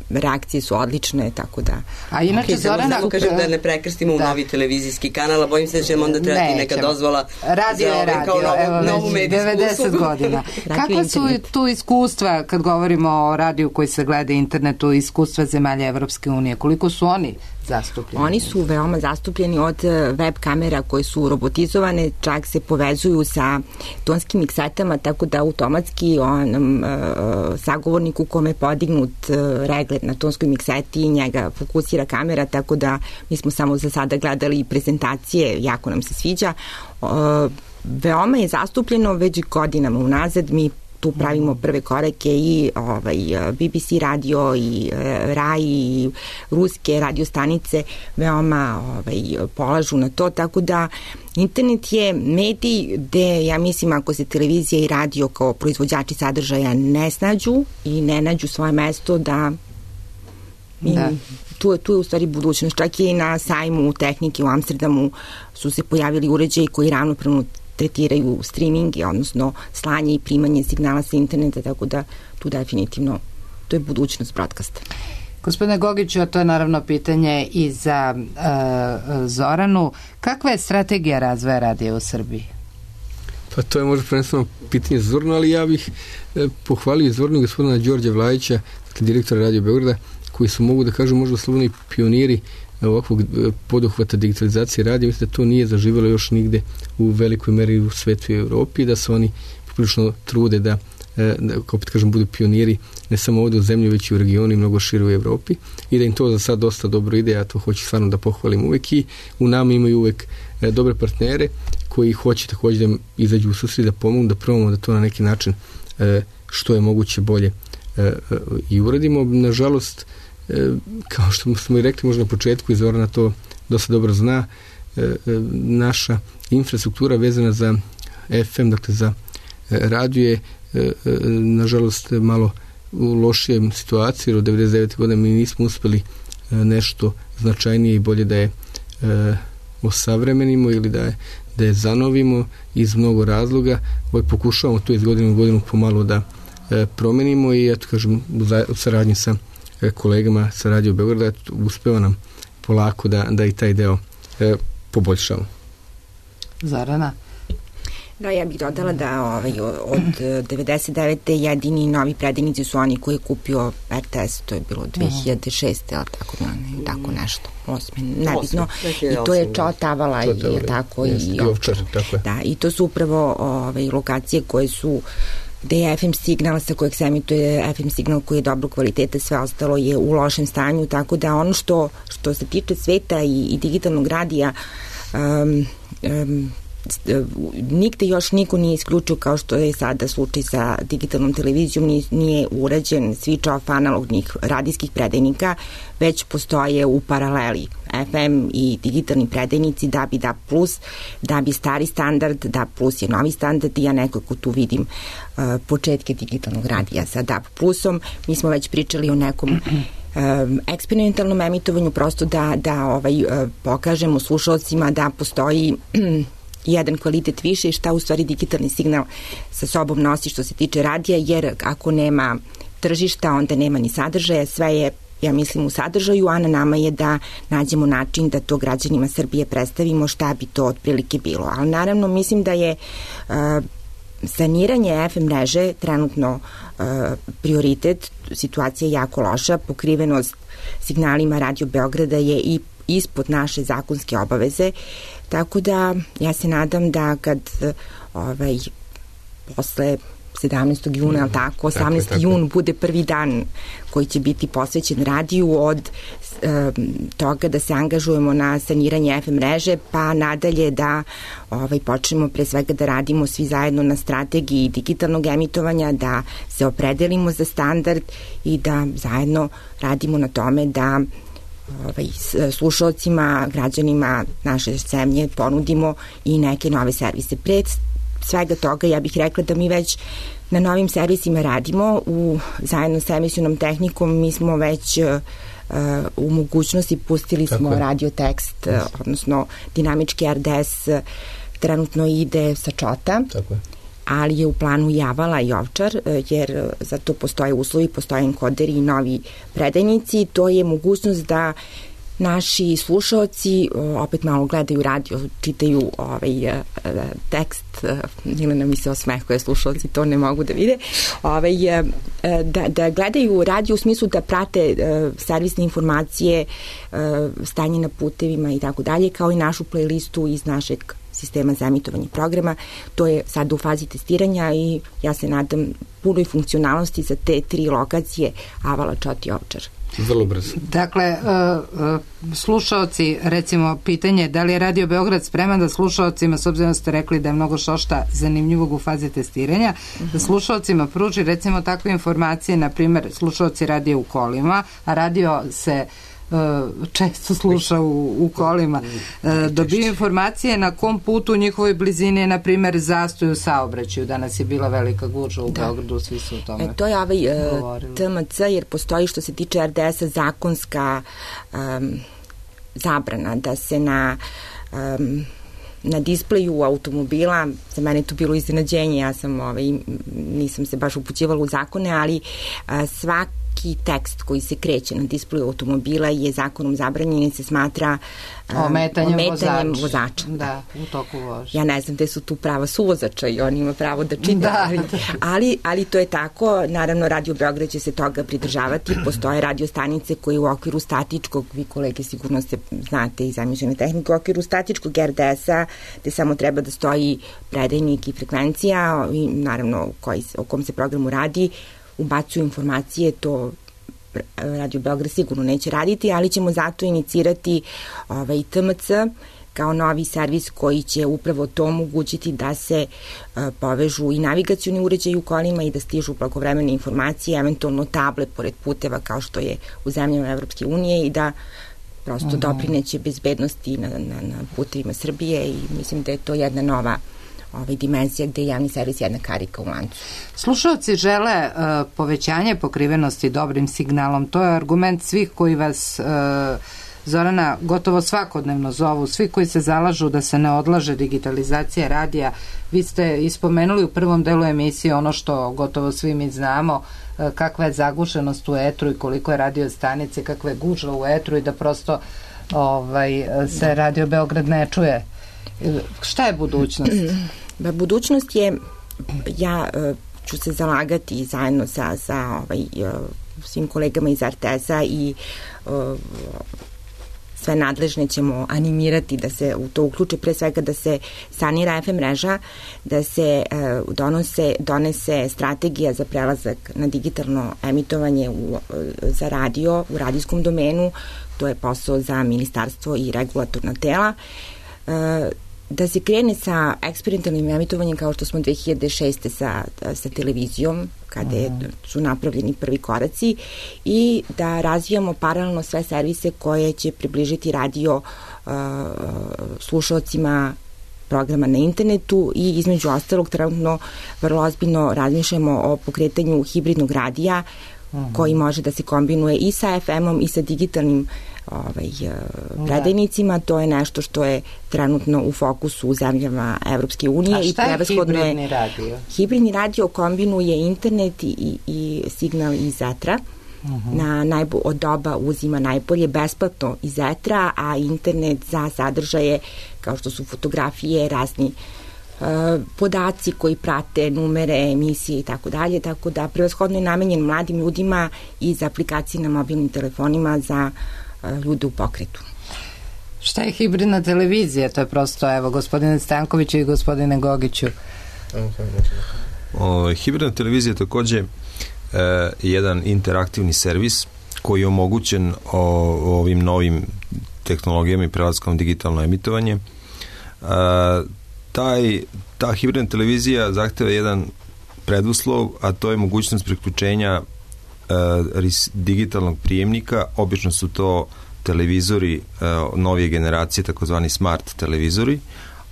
reakcije su odlične, tako da... A inače, okay, Zorana... Samo kažem da ne prekrstimo da. u novi televizijski kanal, a bojim se da će onda trebati neka dozvola radio za je ovaj, radio, kao novu, evo, novu medijsku devedeset godina. Kakva su tu iskustva, kad govorimo o radiju koji se gleda internetu, iskustva zemalja Evropske unije? Koliko su oni zastupljeni? Oni su veoma zastupljeni od web kamera koje su robotizovane, čak se povezuju sa tonskim miksetama, tako da automatski onom uh, sagovorniku kome je podignut uh, reglet na tonskoj mikseti, njega fokusira kamera, tako da mi smo samo za sada gledali prezentacije, jako nam se sviđa. Uh, veoma je zastupljeno već godinama unazad, mi tu pravimo prve korake i ovaj, B B C radio i R A I i ruske radio stanice veoma ovaj, polažu na to, tako da internet je medij gde, ja mislim, ako se televizija i radio kao proizvođači sadržaja ne snađu i ne nađu svoje mesto, da Da. Tu, tu je u stvari budućnost. Čak i na sajmu tehnike u Amsterdamu su se pojavili uređaji koji ravnopravno tretiraju streaming, odnosno slanje i primanje signala sa interneta, tako da tu definitivno to je budućnost broadcasta. Gospodine Gogiću, a to je naravno pitanje i za uh, Zoranu. Kakva je strategija razvoja radija u Srbiji? Pa to je možda prvenstveno pitanje za Zoranu, ali ja bih eh, pohvalio Zoranu gospodina Đorđa Vlajića, dakle direktora Radio Beograda, koji su, mogu da kažu, možda slobodni pioniri ovakvog poduhvata digitalizacije radija. Mislim da to nije zaživjelo još nigde u velikoj meri u svetu i Evropi, da se oni poprilično trude da, da opet kažem, budu pioniri ne samo ovdje u zemlji, već i u regionu i mnogo šire u Evropi, i da im to za sad dosta dobro ide. Ja to hoću stvarno da pohvalim uvek, i u nama imaju uvek dobre partnere koji hoće također da izađu u susret, da pomogu, da probamo da to na neki način što je moguće bolje i uradimo. Nažalost, kao što smo i rekli možda na početku, i Zorana to dosta dobro zna, naša infrastruktura vezana za F M, dakle za radio, je nažalost malo u lošijem situaciji, jer od devedeset devete godine mi nismo uspeli nešto značajnije i bolje da je osavremenimo ili da je, da je zanovimo iz mnogo razloga. Ovaj pokušavamo to iz godine u godinu pomalo da promenimo, i eto kažem u saradnji sa kolegama sa Radio Beograda uspeva nam polako da, da i taj deo e, poboljšamo. Zorana? Da, ja bih dodala da ovaj, od devedeset devete jedini novi predajnici su oni koji je kupio R T S, to je bilo dve hiljade šeste, ali tako, ne, tako nešto, osme, nebitno. I to je Čao Tavala, i tako, i Ovčar. Da, i to su upravo ovaj, lokacije koje su gde je F M signal sa kojeg se emituje F M signal koji je dobro kvalitete, sve ostalo je u lošem stanju, tako da ono što, što se tiče sveta i, i digitalnog radija, um, um, nigde još niko nije isključio, kao što je sada slučaj sa digitalnom televizijom, nije, nije urađen switch off analognih radijskih predajnika, već postoje u paraleli F M i digitalni predajnici, D A B i D A B plus, D A B je stari standard, D A B plus je novi standard, i ja nekako tu vidim uh, početke digitalnog radija sa D A B plusom. Mi smo već pričali o nekom um, eksperimentalnom emitovanju, prosto da, da ovaj, uh, pokažemo slušalcima da postoji jedan kvalitet više i šta u stvari digitalni signal sa sobom nosi što se tiče radija, jer ako nema tržišta, onda nema ni sadržaja, sve je, ja mislim, u sadržaju, a na nama je da nađemo način da to građanima Srbije predstavimo šta bi to otprilike bilo. Ali naravno mislim da je uh, saniranje F M mreže trenutno uh, prioritet, situacija je jako loša, pokrivenost signalima Radio Beograda je i ispod naše zakonske obaveze, tako da ja se nadam da kad ovaj, posle sedamnaestog juna, ali tako, osamnaesti jun bude prvi dan koji će biti posvećen radiju od e, toga da se angažujemo na saniranje F M mreže, pa nadalje da ovaj, počnemo pre svega da radimo svi zajedno na strategiji digitalnog emitovanja, da se opredelimo za standard i da zajedno radimo na tome da ovaj, slušalcima, građanima naše zemlje ponudimo i neke nove servise. Pred svega toga ja bih rekla da mi već na novim servisima radimo u, zajedno sa emisionom tehnikom. Mi smo već uh, u mogućnosti pustili Tako smo je. radiotekst, yes. odnosno dinamički R D S uh, trenutno ide sa Čota. Tako je. Ali je u planu i Avala i Ovčar, jer za to postoje uslovi, postoje enkoderi i novi predajnici. To je mogućnost da naši slušaoci opet malo gledaju radio, čitaju ovaj tekst, ili nam mi se osmehuje, slušaoci to ne mogu da vide, ovaj, da, da gledaju radio u smislu da prate servisne informacije, stanje na putevima i tako dalje, kao i našu playlistu iz našeg sistema za emitovanje programa. To je sad u fazi testiranja i ja se nadam punoj funkcionalnosti za te tri lokacije Avala, Čot i Ovčar. Vrlo brzo. Dakle, slušaoci, recimo, pitanje da li je Radio Beograd spreman da slušaocima, s obzirom da ste rekli da je mnogo štošta zanimljivog u fazi testiranja, uh-huh. da slušaocima pruži, recimo, takve informacije, na primjer, slušaoci radio u kolima, a radio se često sluša u, u kolima, dobiju informacije na kom putu u njihovoj blizini je, na primjer, zastoj u saobraćaju. Danas je bila velika gužva u da. Beogradu, svi su o tome e, to je ovaj uh, T M C, jer postoji što se tiče R D S-a zakonska um, zabrana da se na um, na displeju automobila, za mene je to bilo iznenađenje, ja sam ovaj, nisam se baš upućivala u zakone, ali a, svaki tekst koji se kreće na displeju automobila je zakonom zabranjen i se smatra a, ometanjem, ometanjem vozača. vozača. Da, u toku vožnje. Ja ne znam gde su tu prava suvozača i on ima pravo da čita, da. Ali, ali, ali to je tako. Naravno, Radio Beograd će se toga pridržavati. Postoje radio stanice koji u okviru statičkog, vi kolege sigurno se znate iz emissione tehnike, u okviru statičkog R D S-a, gde samo treba da stoji predajnik i frekvencija i naravno koji, o kom se programu radi, ubacuju informacije, to Radio Beograd sigurno neće raditi, ali ćemo zato inicirati ovaj, T M C kao novi servis koji će upravo to omogućiti da se uh, povežu i navigacioni uređaji u kolima i da stižu blagovremene informacije, eventualno table pored puteva kao što je u zemljama Evropske unije i da prosto uh-huh. doprineće bezbednosti na, na, na putevima Srbije i mislim da je to jedna nova ovaj, dimenzija gde je javni servis jedna karika u lancu. Slušalci žele uh, povećanje pokrivenosti dobrim signalom. To je argument svih koji vas uh, Zorana gotovo svakodnevno zovu, svi koji se zalažu da se ne odlaže digitalizacija radija. Vi ste ispomenuli u prvom delu emisije ono što gotovo svi mi znamo, kakva je zagušenost u etru i koliko je radio stanice, kakva je gužva u etru i da prosto ovaj, se da. Radio Beograd ne čuje. Šta je budućnost? Ba, budućnost je, ja uh, ću se zalagati zajedno sa, sa ovaj, uh, svim kolegama iz R T S-a i uh, sve nadležne ćemo animirati da se u to uključe, pre svega da se sanira F M mreža, da se uh, donose, donese strategija za prelazak na digitalno emitovanje u, uh, za radio u radijskom domenu, to je posao za ministarstvo i regulatorna tela, uh, da se krene sa eksperimentalnim emitovanjem kao što smo dve hiljade šeste sa, sa televizijom, kada je, su napravljeni prvi koraci i da razvijamo paralelno sve servise koje će približiti radio uh, slušalcima programa na internetu i između ostalog trenutno vrlo ozbiljno razmišljamo o pokretanju hibridnog radija uh-huh. koji može da se kombinuje i sa F M-om i sa digitalnim ovaj, predajnicima. To je nešto što je trenutno u fokusu u zemljama Evropske unije. A šta je hibridni radio? Hibridni radio kombinuje internet i, i signal iz etra. Uh-huh. Na najbo, od doba uzima najbolje besplatno iz etra, a internet za sadržaje kao što su fotografije, razni podaci koji prate numere, emisije i tako dalje, tako da prevashodno je namenjen mladim ljudima i za aplikacije na mobilnim telefonima za ljude u pokretu. Šta je hibridna televizija? To je prosto, evo, gospodine Stankoviću i gospodine Gogiću. O, hibridna televizija je takođe e, jedan interaktivni servis koji je omogućen o, ovim novim tehnologijama i prelaskom digitalno emitovanje. E, taj, ta hibridna televizija zahteva jedan preduslov, a to je mogućnost priključenja e, digitalnog prijemnika. Obično su to televizori e, novije generacije, takozvani smart televizori,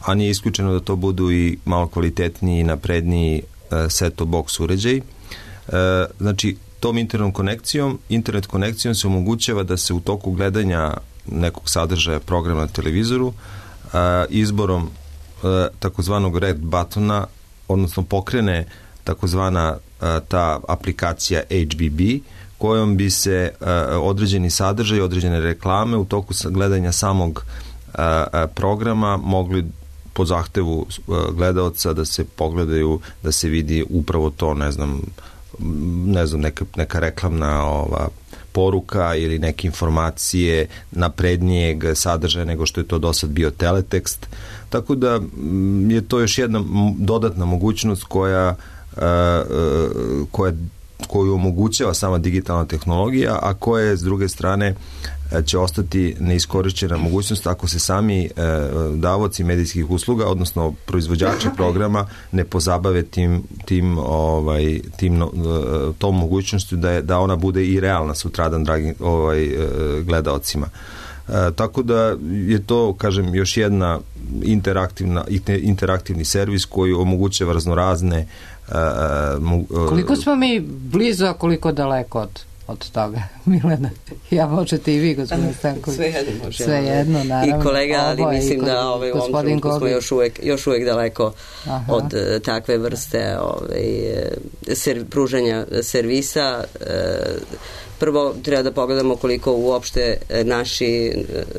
a nije isključeno da to budu i malo kvalitetniji i napredniji e, set-top box uređaj. E, znači, tom internet konekcijom, internet konekcijom se omogućava da se u toku gledanja nekog sadržaja programa na televizoru a, izborom a, takozvanog red buttona, odnosno pokrene takozvana a, ta aplikacija H B B, kojom bi se a, određeni sadržaj, određene reklame u toku gledanja samog a, a, programa mogli po zahtevu a, gledaoca da se pogledaju, da se vidi upravo to, ne znam, ne znam, neka, neka reklamna ova poruka ili neke informacije naprednijeg sadržaja nego što je to do sad bio teletekst. Tako da je to još jedna dodatna mogućnost koja, koja koju omogućava sama digitalna tehnologija, a koja je s druge strane će ostati neiskorišćena mogućnost ako se sami e, davaoci medijskih usluga, odnosno proizvođači programa ne pozabave tim, tim, ovaj, tim tom mogućnošću da, je, da ona bude i realna sutradan dragi ovaj, gledaocima. E, tako da je to, kažem, još jedna interaktivna, interaktivni servis koji omogućava raznorazne e, mo, koliko smo mi blizu, a koliko daleko od od toga, Milena? Ja, možete i vi, gospodin Stanković. Sve jedno možemo. Sve jedno, naravno. I kolega, ali Oboje, mislim da ovaj, u ovom trenutku smo još uvek, još uvek daleko Aha. od uh, takve vrste ovaj, ser, pružanja servisa. Uh, prvo treba da pogledamo koliko uopšte naši,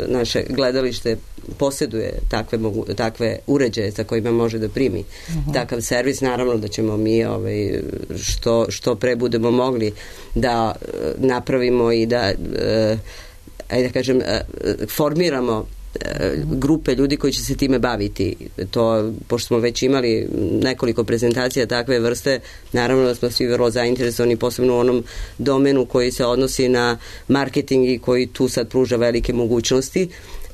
naše gledalište posjeduje takve, mogu, takve uređaje sa kojima može da primi uh-huh. takav servis. Naravno da ćemo mi ovaj, što, što pre budemo mogli da napravimo i da uh, ajde da kažem uh, formiramo grupe ljudi koji će se time baviti. To, pošto smo već imali nekoliko prezentacija takve vrste, naravno da smo svi vrlo zainteresovani, posebno u onom domenu koji se odnosi na marketing i koji tu sad pruža velike mogućnosti,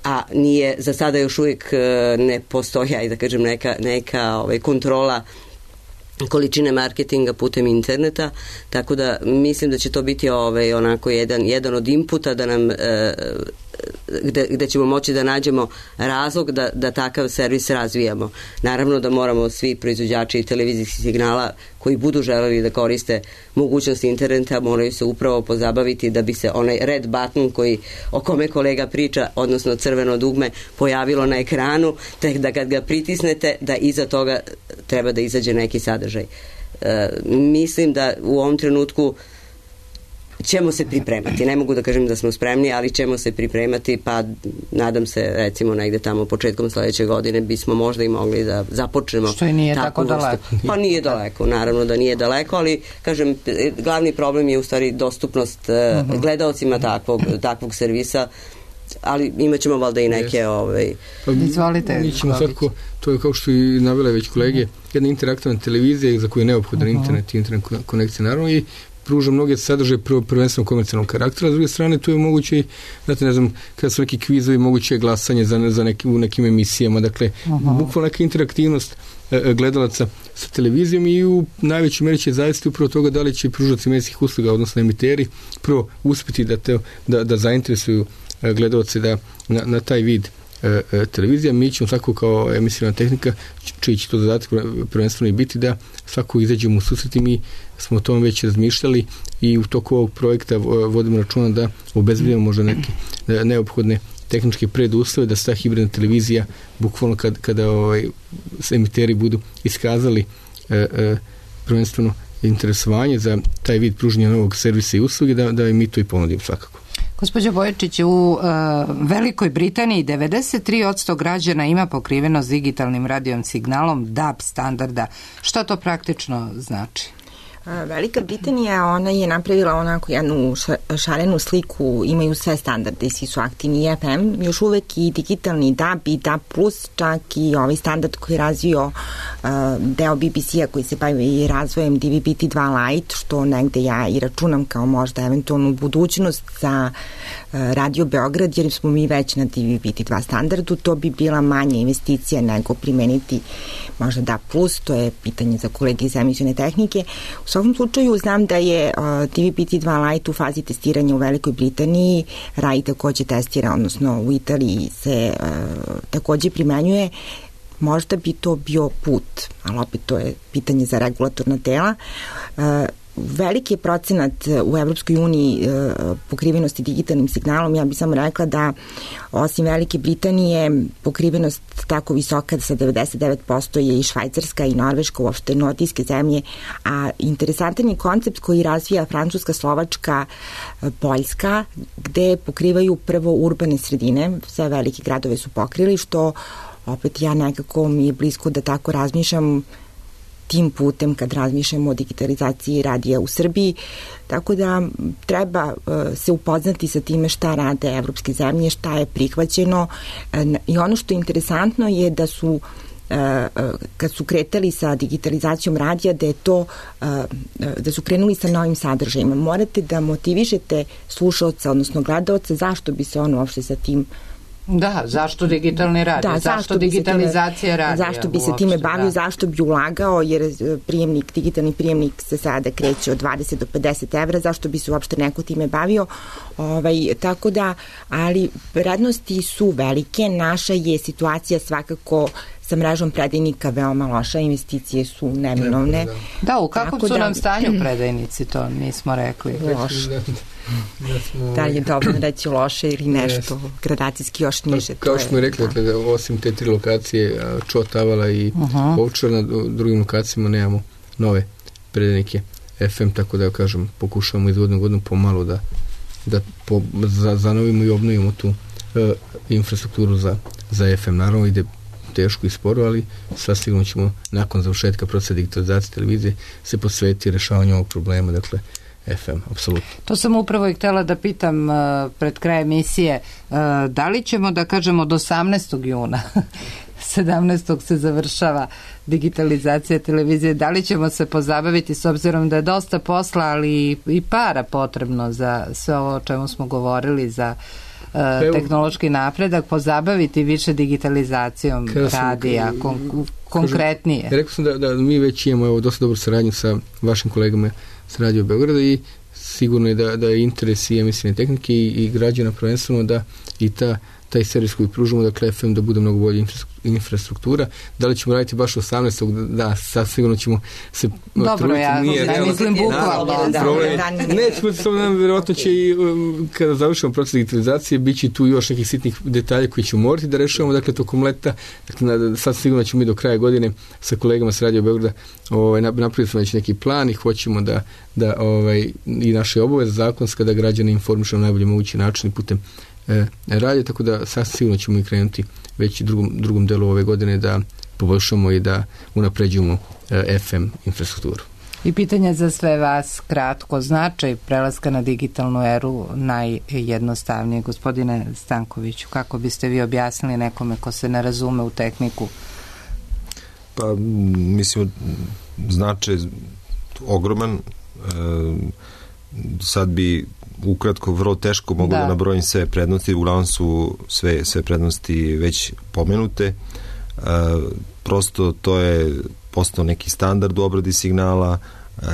a nije, za sada još uvijek ne postoji, ajde da kažem, neka, neka ovaj, kontrola količine marketinga putem interneta, tako da mislim da će to biti ovaj, onako jedan, jedan od inputa da nam e, gde, gde ćemo moći da nađemo razlog da, da takav servis razvijamo. Naravno da moramo svi proizvođači televizijskih signala koji budu želeli da koriste mogućnost interneta moraju se upravo pozabaviti da bi se onaj red button koji, o kome kolega priča, odnosno crveno dugme, pojavilo na ekranu, tek da kad ga pritisnete da iza toga treba da izađe neki sadržaj. E, mislim da u ovom trenutku ćemo se pripremati. Ne mogu da kažem da smo spremni, ali ćemo se pripremati, pa nadam se recimo negde tamo početkom sledeće godine bismo možda i mogli da započnemo. Što i nije tako daleko. Pa nije daleko, naravno da nije daleko, ali kažem, glavni problem je u stvari dostupnost uh-huh. gledaocima takvog, takvog servisa, ali imat ćemo valjda i neke ovaj... Pa, izvolite. Mi ćemo svakako, to je kao što i navele već kolege, jedna interaktivna televizija za koju je neophodan uh-huh. internet i internet konekcija, naravno, i pruža mnoge sadržaje prvenstveno komercijalnog karaktera, s druge strane tu je moguće, znate, ne znam, kada su neki kvizovi, moguće je glasanje za, za neki, u nekim emisijama, dakle, uh-huh. bukvalno neka interaktivnost e, gledalaca sa televizijom i u najvećoj meri će zavisiti upravo toga da li će pružaoci medijskih usluga, odnosno emiteri, prvo uspjeti da, te, da, da zainteresuju gledalce da na, na taj vid e, e, televizija. Mi ćemo svako kao emisijna tehnika, čiji će to zadatak prvenstveno i biti da svako izađemo u susret i mi smo o tom već razmišljali i u toku ovog projekta vodimo računa da obezbedimo možda neke neophodne tehničke preduslove da se ta hibridna televizija bukvalno kad, kada ovaj, emiteri budu iskazali e, e, prvenstveno interesovanje za taj vid pružanja novog servisa i usluge da, da mi to i ponudimo svakako. Gospođo Bojačić, u uh, Velikoj Britaniji devedeset tri posto građana ima pokrivenost digitalnim radijom signalom D A B standarda. Što to praktično znači? Velika Britanija, ona je napravila onako jednu šarenu sliku, imaju sve standarde i svi su aktivni i F M, još uvek i digitalni D A B i D A B plus, čak i ovaj standard koji je razvio uh, deo B B C-a koji se bavi razvojem D V B T dva Lite, što negde ja i računam kao možda eventualnu budućnost za uh, Radio Beograd, jer smo mi već na D V B T dva standardu, to bi bila manja investicija nego primeniti možda D A B plus, to je pitanje za kolege iz emisione tehnike. U svakom slučaju znam da je uh, D V B T dva Lite u fazi testiranja u Velikoj Britaniji, Rai takođe testira, odnosno u Italiji se uh, takođe primenjuje. Možda bi to bio put, ali opet to je pitanje za regulatorna tela. Uh, veliki je procenat u Evropskoj uniji pokrivenosti digitalnim signalom. Ja bih samo rekla da osim Velike Britanije pokrivenost tako visoka sa devedeset devet posto je i Švajcarska i Norveška, uopšte nordijske zemlje, a interesantan je koncept koji razvija Francuska, Slovačka, Poljska, gde pokrivaju prvo urbane sredine, sve velike gradove su pokrili, što opet ja nekako mi je blisko da tako razmišljam tim putem kad razmišljamo o digitalizaciji radija u Srbiji, tako da treba uh, se upoznati sa time šta rade evropske zemlje, šta je prihvaćeno uh, i ono što je interesantno je da su uh, kad su kretali sa digitalizacijom radija, da je to uh, da su krenuli sa novim sadržajima. Morate da motivišete slušaoca, odnosno gledaoca, zašto bi se on uopšte sa tim Da, zašto digitalni radio? Da, zašto, zašto digitalizacija radija? Zašto bi se time bavio, da. Zašto bi ulagao, jer prijemnik, digitalni prijemnik se sada kreće od dvadeset do pedeset evra, zašto bi se uopšte neko time bavio? Ovaj, tako da, ali prednosti su velike, naša je situacija svakako sa mrežom predajnika veoma loša, investicije su neminovne. Da, da u kakvom su da, nam stanju predajnici, to nismo rekli. Loše. Da li je dobro reći loše ili nešto yes. gradacijski još niže. Pa, kao što smo rekli, dakle, osim te tri lokacije, Čot, Avala i uh-huh. Ovčar, na drugim lokacijama nemamo nove predajnike F M, tako da kažem, pokušavamo iz godinu godinu pomalo da, da po, za, zanovimo i obnovimo tu uh, infrastrukturu za, za F M. Naravno ide teško i sporo, ali sasvim ćemo nakon završetka procesa digitalizacije televizije se posveti rešavanju ovog problema, dakle F M, apsolutno. To sam upravo i htjela da pitam uh, pred kraj emisije, uh, da li ćemo da kažemo do osamnaestog juna, sedamnaestog se završava digitalizacija televizije, da li ćemo se pozabaviti s obzirom da je dosta posla, ali i para potrebno za sve ovo o čemu smo govorili, za uh, tehnološki napredak, pozabaviti više digitalizacijom radija, kon, konkretnije. Kažem, rekao sam da, da mi već imamo evo, dosta dobru saradnju sa vašim kolegama s Radio Beograda i sigurno je da, da je interes i emisione tehnike i, i građana prvenstveno da i ta, taj servis koji pružimo, dakle F M, da bude mnogo bolja infrastruktura. Da li ćemo raditi baš osamnaestog Da, sad sigurno ćemo se Dobro, truditi. Ja nije, ne mislim bukvalno. Nećemo se samo, vjerojatno će i um, kada završimo proces digitalizacije, bit će tu još nekih sitnih detalja koji ćemo morati da rešavamo, dakle tokom leta. Dakle, sad sigurno ćemo mi do kraja godine sa kolegama s Radio Beograda ovaj, napravili smo već neki plan i hoćemo da, da ovaj, i naše obaveze zakonska da građane informišemo na najbolji mogući način i putem e, radije, tako da sasvim sigurno ćemo i krenuti već i drugom, drugom delu ove godine da poboljšamo i da unapređujemo e, F M infrastrukturu. I pitanje za sve vas kratko, značaj prelaska na digitalnu eru najjednostavnije. Gospodine Stankoviću, kako biste vi objasnili nekome ko se ne razume u tehniku? Pa, mislim, značaj ogroman. E, sad bi ukratko vrlo teško mogu da, da nabrojim sve prednosti, uglavnom su sve, sve prednosti već pomenute. E, prosto to je postao neki standard u obradi signala, e,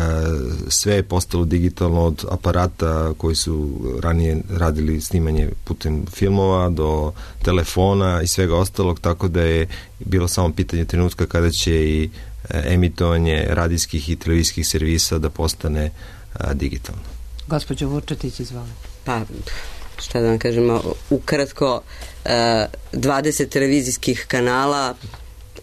sve je postalo digitalno od aparata koji su ranije radili snimanje putem filmova do telefona i svega ostalog, tako da je bilo samo pitanje trenutka kada će i emitovanje radijskih i televizijskih servisa da postane a, digitalno. Gospođo Vučetić, izvolite. Pa, šta da vam kažemo, ukratko, dvadeset televizijskih kanala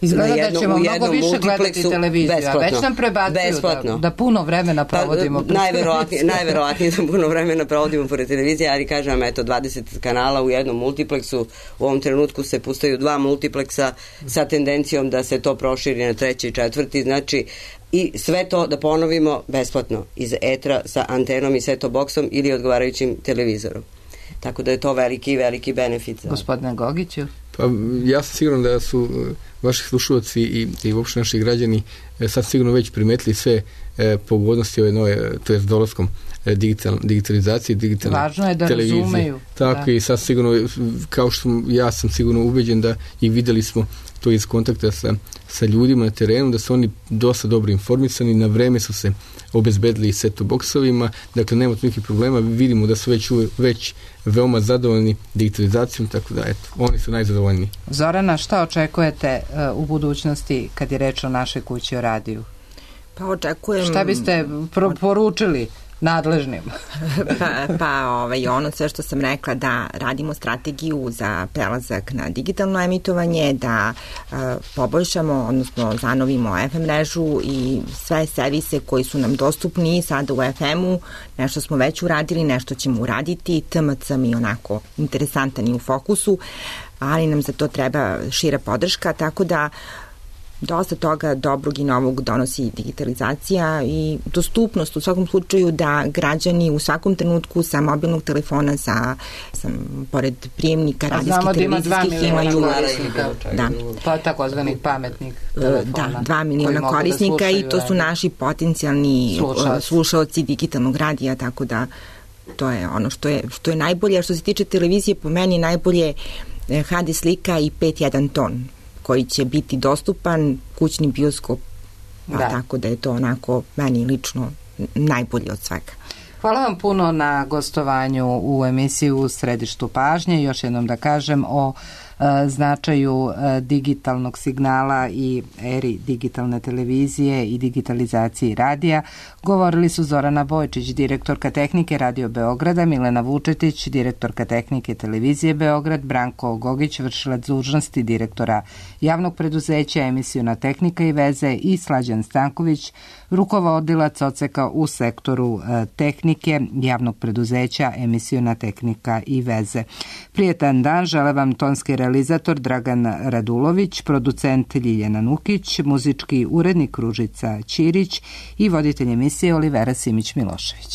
Izgleda jedno, da ćemo mnogo više gledati televiziju, a već nam prebacuju da, da puno vremena provodimo. Pa, najverovatnije, najverovatnije da puno vremena provodimo pored televizije, ali kažem, eto, dvadeset kanala u jednom multipleksu, u ovom trenutku se pustaju dva multipleksa sa tendencijom da se to proširi na treći i četvrti, znači i sve to da ponovimo besplatno iz etra sa antenom i set-top boksom ili odgovarajućim televizorom. Tako da je to veliki, veliki benefit. Gospodine Gogiću? Pa ja sam siguran da su vaši slušalci i, i uopšte naši građani sad sigurno već primetili sve e, pogodnosti ove nove, to je s dolaskom e, digital, digitalizacije, digitalne Važno je da televizije. Razumeju. Tako da. I sad sigurno, kao što ja sam sigurno ubeđen da i videli smo to iz kontakta sa, sa ljudima na terenu, da su oni dosta dobro informisani, na vreme su se obezbedili i set-top boksovima, dakle nema tu nekih problema, vidimo da su već, već veoma zadovoljni digitalizacijom, tako da eto, oni su najzadovoljniji. Zorana, šta očekujete uh, u budućnosti kad je reč o našoj kući o radiju? Pa očekujem... Šta biste pro- poručili nadležnim? pa pa ovaj, ono sve što sam rekla, da radimo strategiju za prelazak na digitalno emitovanje, da uh, poboljšamo, odnosno zanovimo F M mrežu i sve servise koji su nam dostupni sada u F M-u, nešto smo već uradili, nešto ćemo uraditi, T M C mi onako interesantan i u fokusu, ali nam za to treba šira podrška, tako da dosta toga dobrog i novog donosi digitalizacija i dostupnost u svakom slučaju da građani u svakom trenutku sa mobilnog telefona, sa, sa pored prijemnika radijskih, televizijskih imaju da. Pa takozvanih pametnih telefona. Da, dva miliona korisnika i to su naši potencijalni slušalci. slušalci digitalnog radija, tako da to je ono što je, što je najbolje. A što se tiče televizije, po meni najbolje H D slika i pet jedan ton koji će biti dostupan, kućni bioskop, pa da. Tako da je to onako meni lično najbolje od svega. Hvala vam puno na gostovanju u emisiji U središtu pažnje. Još jednom da kažem o e, značaju e, digitalnog signala i eri digitalne televizije i digitalizaciji radija. Govorili su Zorana Bojčić, direktorka tehnike Radio Beograda, Milena Vučetić, direktorka tehnike televizije Beograd, Branko Gogić, vršilac dužnosti direktora javnog preduzeća Emisiona tehnika i veze i Slađan Stanković, rukovodilac odseka u sektoru e, tehnike javnog preduzeća Emisiona tehnika i veze. Prijetan dan žele vam tonski realizator Dragan Radulović, producent Ljiljana Nukić, muzički urednik Ružica Ćirić i voditelj emisije Olivera Simić Milošević.